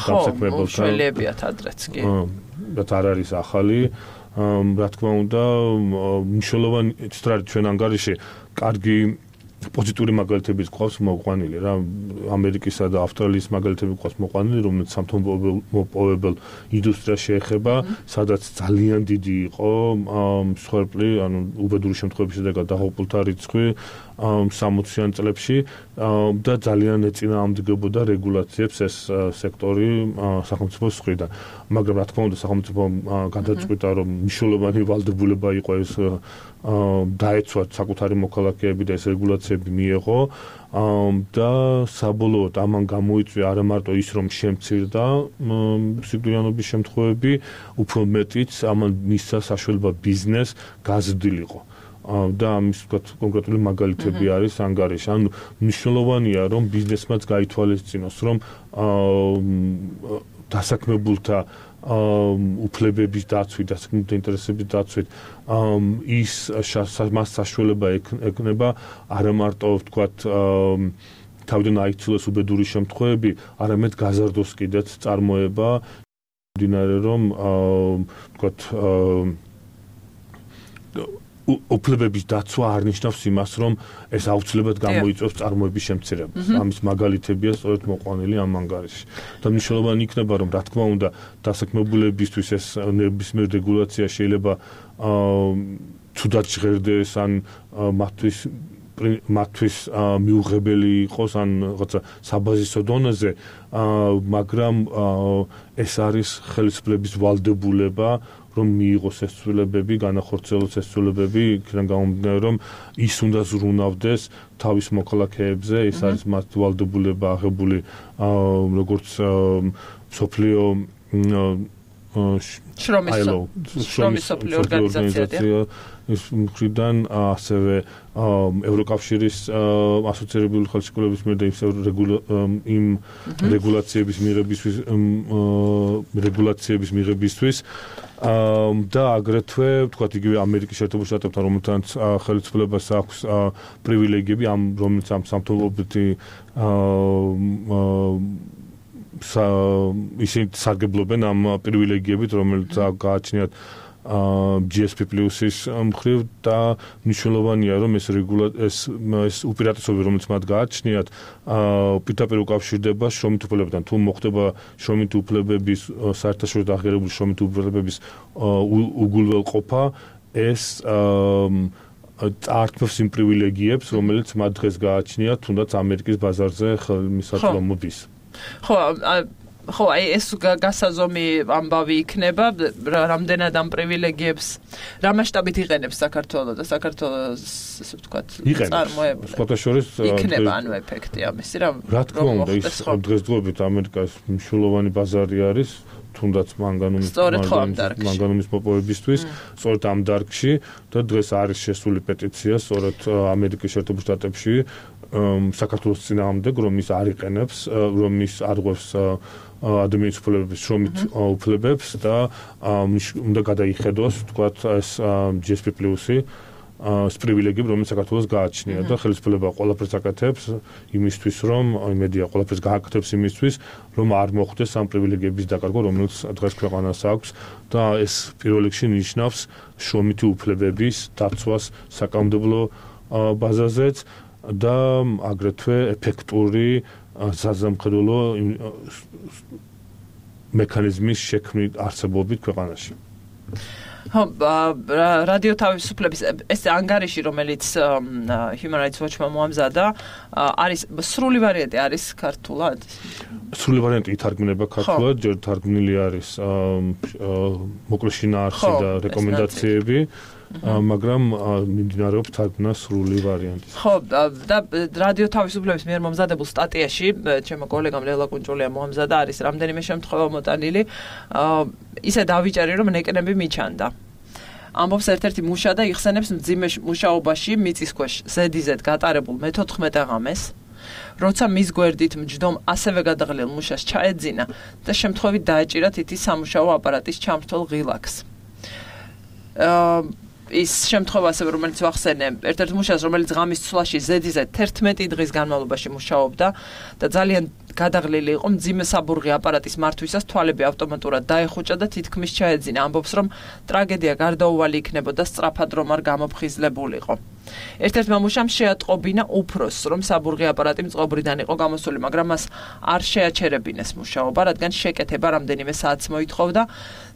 დასაქმებელთან. ხო, შელებიათ ადრეც კი. და არ არის ახალი. რა თქმა უნდა, მნიშვნელოვანი სწორედ ჩვენ ანგარიში კარგი პოზიტიური მაგალითები გვყავს მოყვანილი რა, ამერიკისა და ავსტრალიის მაგალითები გვყავს მოყვანილი, რომელიც სამთო-მოპოვებელ ინდუსტრიას შეეხება, სადაც ძალიან დიდი იყო მსხვერპლი, ანუ უბედური შემთხვევების შედეგად დაღუპულთა რიცხვი სამოციან წლებში და ძალიან ეწინააღმდეგებოდა რეგულაციებს ეს სექტორი სახელმწიფოს მხრიდან. მაგრამ რა თქმა უნდა, სახელმწიფო გადაწყვიტა, რომ მნიშვნელოვანი ვალდებულება იყო ეს დაეცვათ საკუთარი მოქალაქეები და ეს რეგულაციები მიეღო და საბოლოოდ ამან გამოიწვია არა მარტო ის, რომ შემცირდა სიკვდილიანობის შემთხვევები, უფრო მეტიც ამან მისცა საშუალება ბიზნესს გაზრდილიყო. და ამის ვთქვათ კონკრეტული მაგალითები არის ანგარიში. ანუ მნიშვნელოვანია, რომ ბიზნესმაც გაითვალისწინოს, რომ დასაქმებულთა უფლებების დაცვით, დასაქმებულთა ინტერესების დაცვით ის მას საშუალება ექნება არა მარტო ვთქვათ თავიდან აიცილოს უბედური შემთხვევები, არამედ გაზარდოს კიდეც წარმოება, მდინარე რომ ვთქვათ უფლებების დაცვა არ ნიშნავს იმას, რომ ეს აუცილებლად გამოიწვევს წარმოების შემცირებას. ამის მაგალითებია სწორედ მოყვანილი ამ ანგარიში. და მნიშვნელოვანი იქნება, რომ რა თქმა უნდა, დასაქმებულებისთვის ეს ნებისმიერ რეგულაცია შეიძლება თუდად ჟღერდეს ან მათთვის მათთვის მიუღებელი იყოს ან რაღაცა საბაზისო დონეზე, მაგრამ ეს არის ხელისუფლების ვალდებულება, რომ მიიღოს ეს ცვლილებები, განახორციელოს ეს ცვლილებები, იქიდან გამომდინარე, რომ ის უნდა ზრუნავდეს თავის მოქალაქეებზე, ეს არის მათი ვალდებულება აღებული როგორც მსოფლიო შრომის მსოფლიო ორგანიზაცია ის მხრიდან ასევე ევროკავშირის ასოცირებული ხელშეკრულების მიერ და იმ რეგულაციების მიღებისთვის რეგულაციების მიღებისთვის და აგრეთვე თქვათ იგივე ამერიკის შეერთებულ შტატებთან რომელთაც ხელისუფლებას აქვს პრივილეგიები ამ რომელიც ამ სამთავრობითი ისინი სარგებლობენ ამ პრივილეგიებით რომელიც გააჩნიათ G S P Plus-ის მხრივ და მნიშვნელოვანია რომ ეს ეს ეს უპირატესობები რომელიც მათ გააჩნიათ პირდაპირ უკავშირდება შრომით უფლებებთან თუ მოხდება შრომით უფლებების საერთაშორისო აღიარებული შრომით უფლებების უგულველყოფა ეს წაართმევს იმ პრივილეგიებს რომელიც მათ დღეს გააჩნიათ თუნდაც ამერიკის ბაზარზე ხელმისაწვდომ მოდის ხო ხო აი ეს გასაზომი ამბავი იქნება რამდენად ამ პრივილეგიებს რა მასშტაბით იყენებს საქართველოს და საქართველოს ესე ვთქვათ წარმოებული სპორტაშორის იქნება ანუ ეფექტი ამისი რა რა თქმა უნდა ის დღესდღეობით ამერიკას მნიშვნელოვანი ბაზარი არის თუნდაც მანგანუმის მანგანუმის მოპოვებისთვის სწორედ ამ დარგში და დღეს არის შესული პეტიცია სწორედ ამერიკის შეერთებულ შტატებში საქართველოს წინააღმდეგ რომ ის არ იყენებს რომ ის არღვევს ადამიანის უფლებების შრომით უფლებებს და უნდა გადაიხედოს თქვათ ეს G S P Plus-ი ეს პრივილეგიები რომელიც საქართველოს გააჩნია და ხელისუფლება ყველაფერს აკეთებს იმისთვის რომ მედია ყველაფერს გააკეთებს იმისთვის რომ არ მოხდეს ამ პრივილეგიების დაკარგვა რომელიც დღეს ქვეყანას აქვს და ეს პირველ რიგში ნიშნავს შრომითი უფლებების დაცვას საკანონმდებლო ბაზაზეც და აგრეთვე ეფექტური საზამხედველო მექანიზმის შექმნით არსებობით ქვეყანაში. ხო, რადიო თავისუფლების ეს ანგარიში რომელიც Human Rights Watch-მა მოამზადა, არის სრული ვარიანტი არის ქართულად? სრული ვარიანტი ითარგმნება ქართულად, ჯერ თარგმნილი არის მოკლე შინაარსი და რეკომენდაციები. მაგრამ მიმდინარეობს თარგმნა სრული ვარიანტი. ხო, და რადიო თავისუფლების მიერ მომზადებულ სტატიაში, ჩემო კოლეგამ ლელა კუნჭულია მოამზადა, არის რამდენიმე შემთხვევა მოტანილი, ისე დავიჭერი, რომ ნეკნები მიჩანდა. ამბობს ერთ-ერთი მუშა და იხსენებს მძიმე მუშაობაში მიწის ქვეშ ზედიზედ გატარებულ მეთოთხმეტე ღამეს, როცა მის გვერდით მჯდომ ასევე გადაღლილ მუშას ჩაეძინა და შემთხვევით დაეჭირა თითის სამუშაო აპარატის ჩამრთვალ ღილაკს. ის შემთხვევა ასევე რომელიც ვახსენე ერთ-ერთ მუშას რომელიც ღამის ცვლაში ზედიზედ თერთმეტი დღის განმავლობაში მუშაობდა და ძალიან გადაღლილი იყო მძიმე საბურღი აპარატის მართვისას თვალები ავტომატურად დაეხუჭა და თითქმის ჩაეძინა ამბობს რომ ტრაგედია გარდაუვალი იქნებოდა სწრაფად რომ არ გამოფხიზლებულიყო ერთ-ერთმა მუშამ შეატყობინა უფროსს რომ საბურღი აპარატი მწყობრიდან იყო გამოსული მაგრამ მას არ შეაჩერებინეს მუშაობა რადგან შეკეთება რამდენიმე საათს მოითხოვდა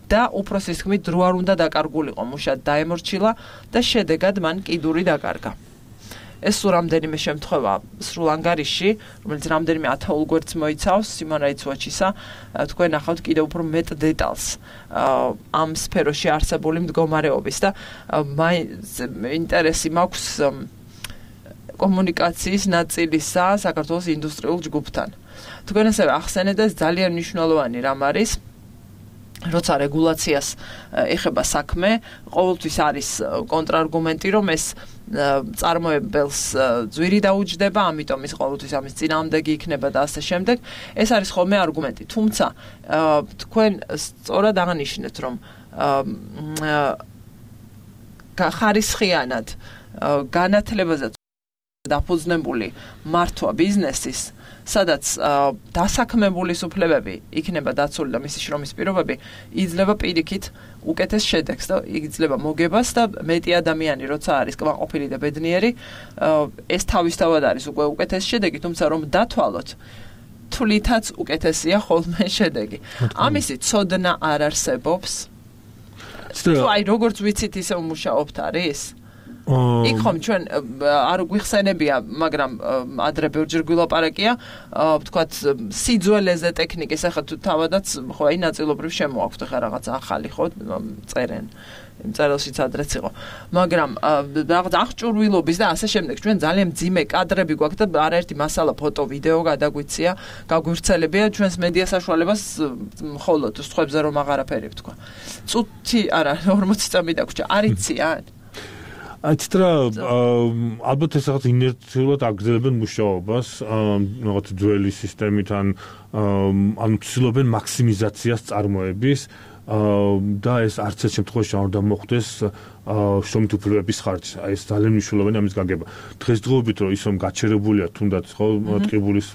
და უფროსის თქმით დრო არ უნდა დაკარგულიყო მუშა დაემორჩილა და შედეგად მან კიდური დაკარგა. ეს სულ რამდენიმე შემთხვევა სრულ ანგარიში, რომელიც რამდენიმე ათეულ გვერდს მოიცავს Human Rights Watch-ისა, თქვენ ნახავთ კიდევ უფრო მეტ დეტალს ამ სფეროში არსებული მდგომარეობის და ინტერესი მაქვს კომუნიკაციის ნაწილისა საქართველოს ინდუსტრიულ ჯგუფთან. თქვენ ასევე ახსენეთ ეს ძალიან მნიშვნელოვანი რამ არის როცა რეგულაციას ეხება საქმე, ყოველთვის არის კონტრარგუმენტი, რომ ეს წარმოებელს ძვირი დაუჯდება, ამიტომ ის ყოველთვის ამის წინააღმდეგი იქნება და ასე შემდეგ. ეს არის ხოლმე არგუმენტი. თუმცა თქვენ სწორად აღნიშნეთ, რომ ხარისხიანად განათლებაზე დაფუძნებული მართვა ბიზნესის, სადაც დასაქმებულის უფლებები იქნება დაცული და მისი შრომის პირობები იძლევა პირიქით უკეთეს შედეგს და იძლევა მოგებას და მეტი ადამიანი როცა არის კმაყოფილი და ბედნიერი, ეს თავისთავად არის უკვე უკეთეს შედეგი, თუმცა რომ დათვალოთ თვლითაც უკეთესია ხოლმე შედეგი. ამისი ცოდნა არ არსებობს. თუ აი როგორც ვიცით ისე მუშაობთ არის? იქ ხომ ჩვენ არ გვიხსენებია, მაგრამ ადრე ბევრჯერ გვილაპარაკია, ვთქვათ, სიძველეზე ტექნიკის, ახლა თუ თავადაც ხო აი ნაწილობრივ შემოაქვთ ახლა რაღაც ახალი ხო წერენ. იმ წერილშიც ადრეც იყო. მაგრამ რაღაც აღჭურვილობის და ასე შემდეგ ჩვენ ძალიან მძიმე კადრები გვაქვს და არაერთი მასალა, ფოტო, ვიდეო გადაგვიცია, გაგვირცელებია ჩვენს მედია საშუალებას მხოლოდ სხვებზე რომ აღარაფერი ვთქვა. წუთი არა ორმოცი წამი დაგვრჩა. არ იციან? აიცტრა ალბათ ეს რაღაც ინერციულად აგრძელებენ მუშაობას, რაღაც ძველი სისტემით ან ან ცდილობენ მაქსიმიზაციას წარმოების და ეს არც ერთ შემთხვევაში არ უნდა მოხდეს შრომით უფლებების ხარჯზე. აი ეს ძალიან მნიშვნელოვანია ამის გაგება. დღესდღეობით რომ ის რომ გაჩერებულია თუნდაც ხო ტყიბულის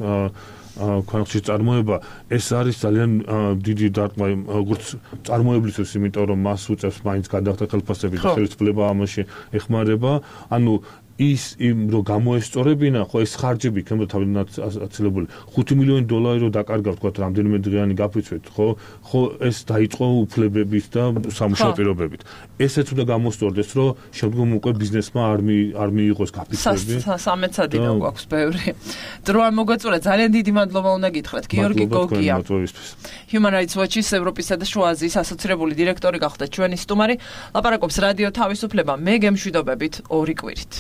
ქვანახშირის წარმოება, ეს არის ძალიან დიდი დარტყმა როგორც წარმოებლისთვის, იმიტომ რომ მას უწევს მაინც გადახდა ხელფასები და ხელისუფლება ამაში ეხმარება. ანუ ის იმ რომ გამოესწორებინა, ხო ეს ხარჯები იქნება თავიდან აცილებული. ხუთი მილიონი დოლარი რომ დაკარგავთ, თქვათ, რამდენიმე დღიანი გაფიცვით, ხო? ხო ეს დაიწყო უფლებებით და სამუშაო პირობებით. ესეც უნდა გამოსწორდეს, რომ შემდგომ უკვე ბიზნესმა არ არ მიიღოს გაფიცვები. სამეცადინო გვაქვს ბევრი. დრო არ მოგვეწურა, ძალიან დიდი მადლობა უნდა გითხრათ. გიორგი გოგია. Human Rights Watch-ის ევროპისა და შუა აზიის ასოცირებული დირექტორი გახდა ჩვენი სტუმარი. ლაპარაკობს რადიო თავისუფლება. მე გემშვიდობებით ორი კვირით.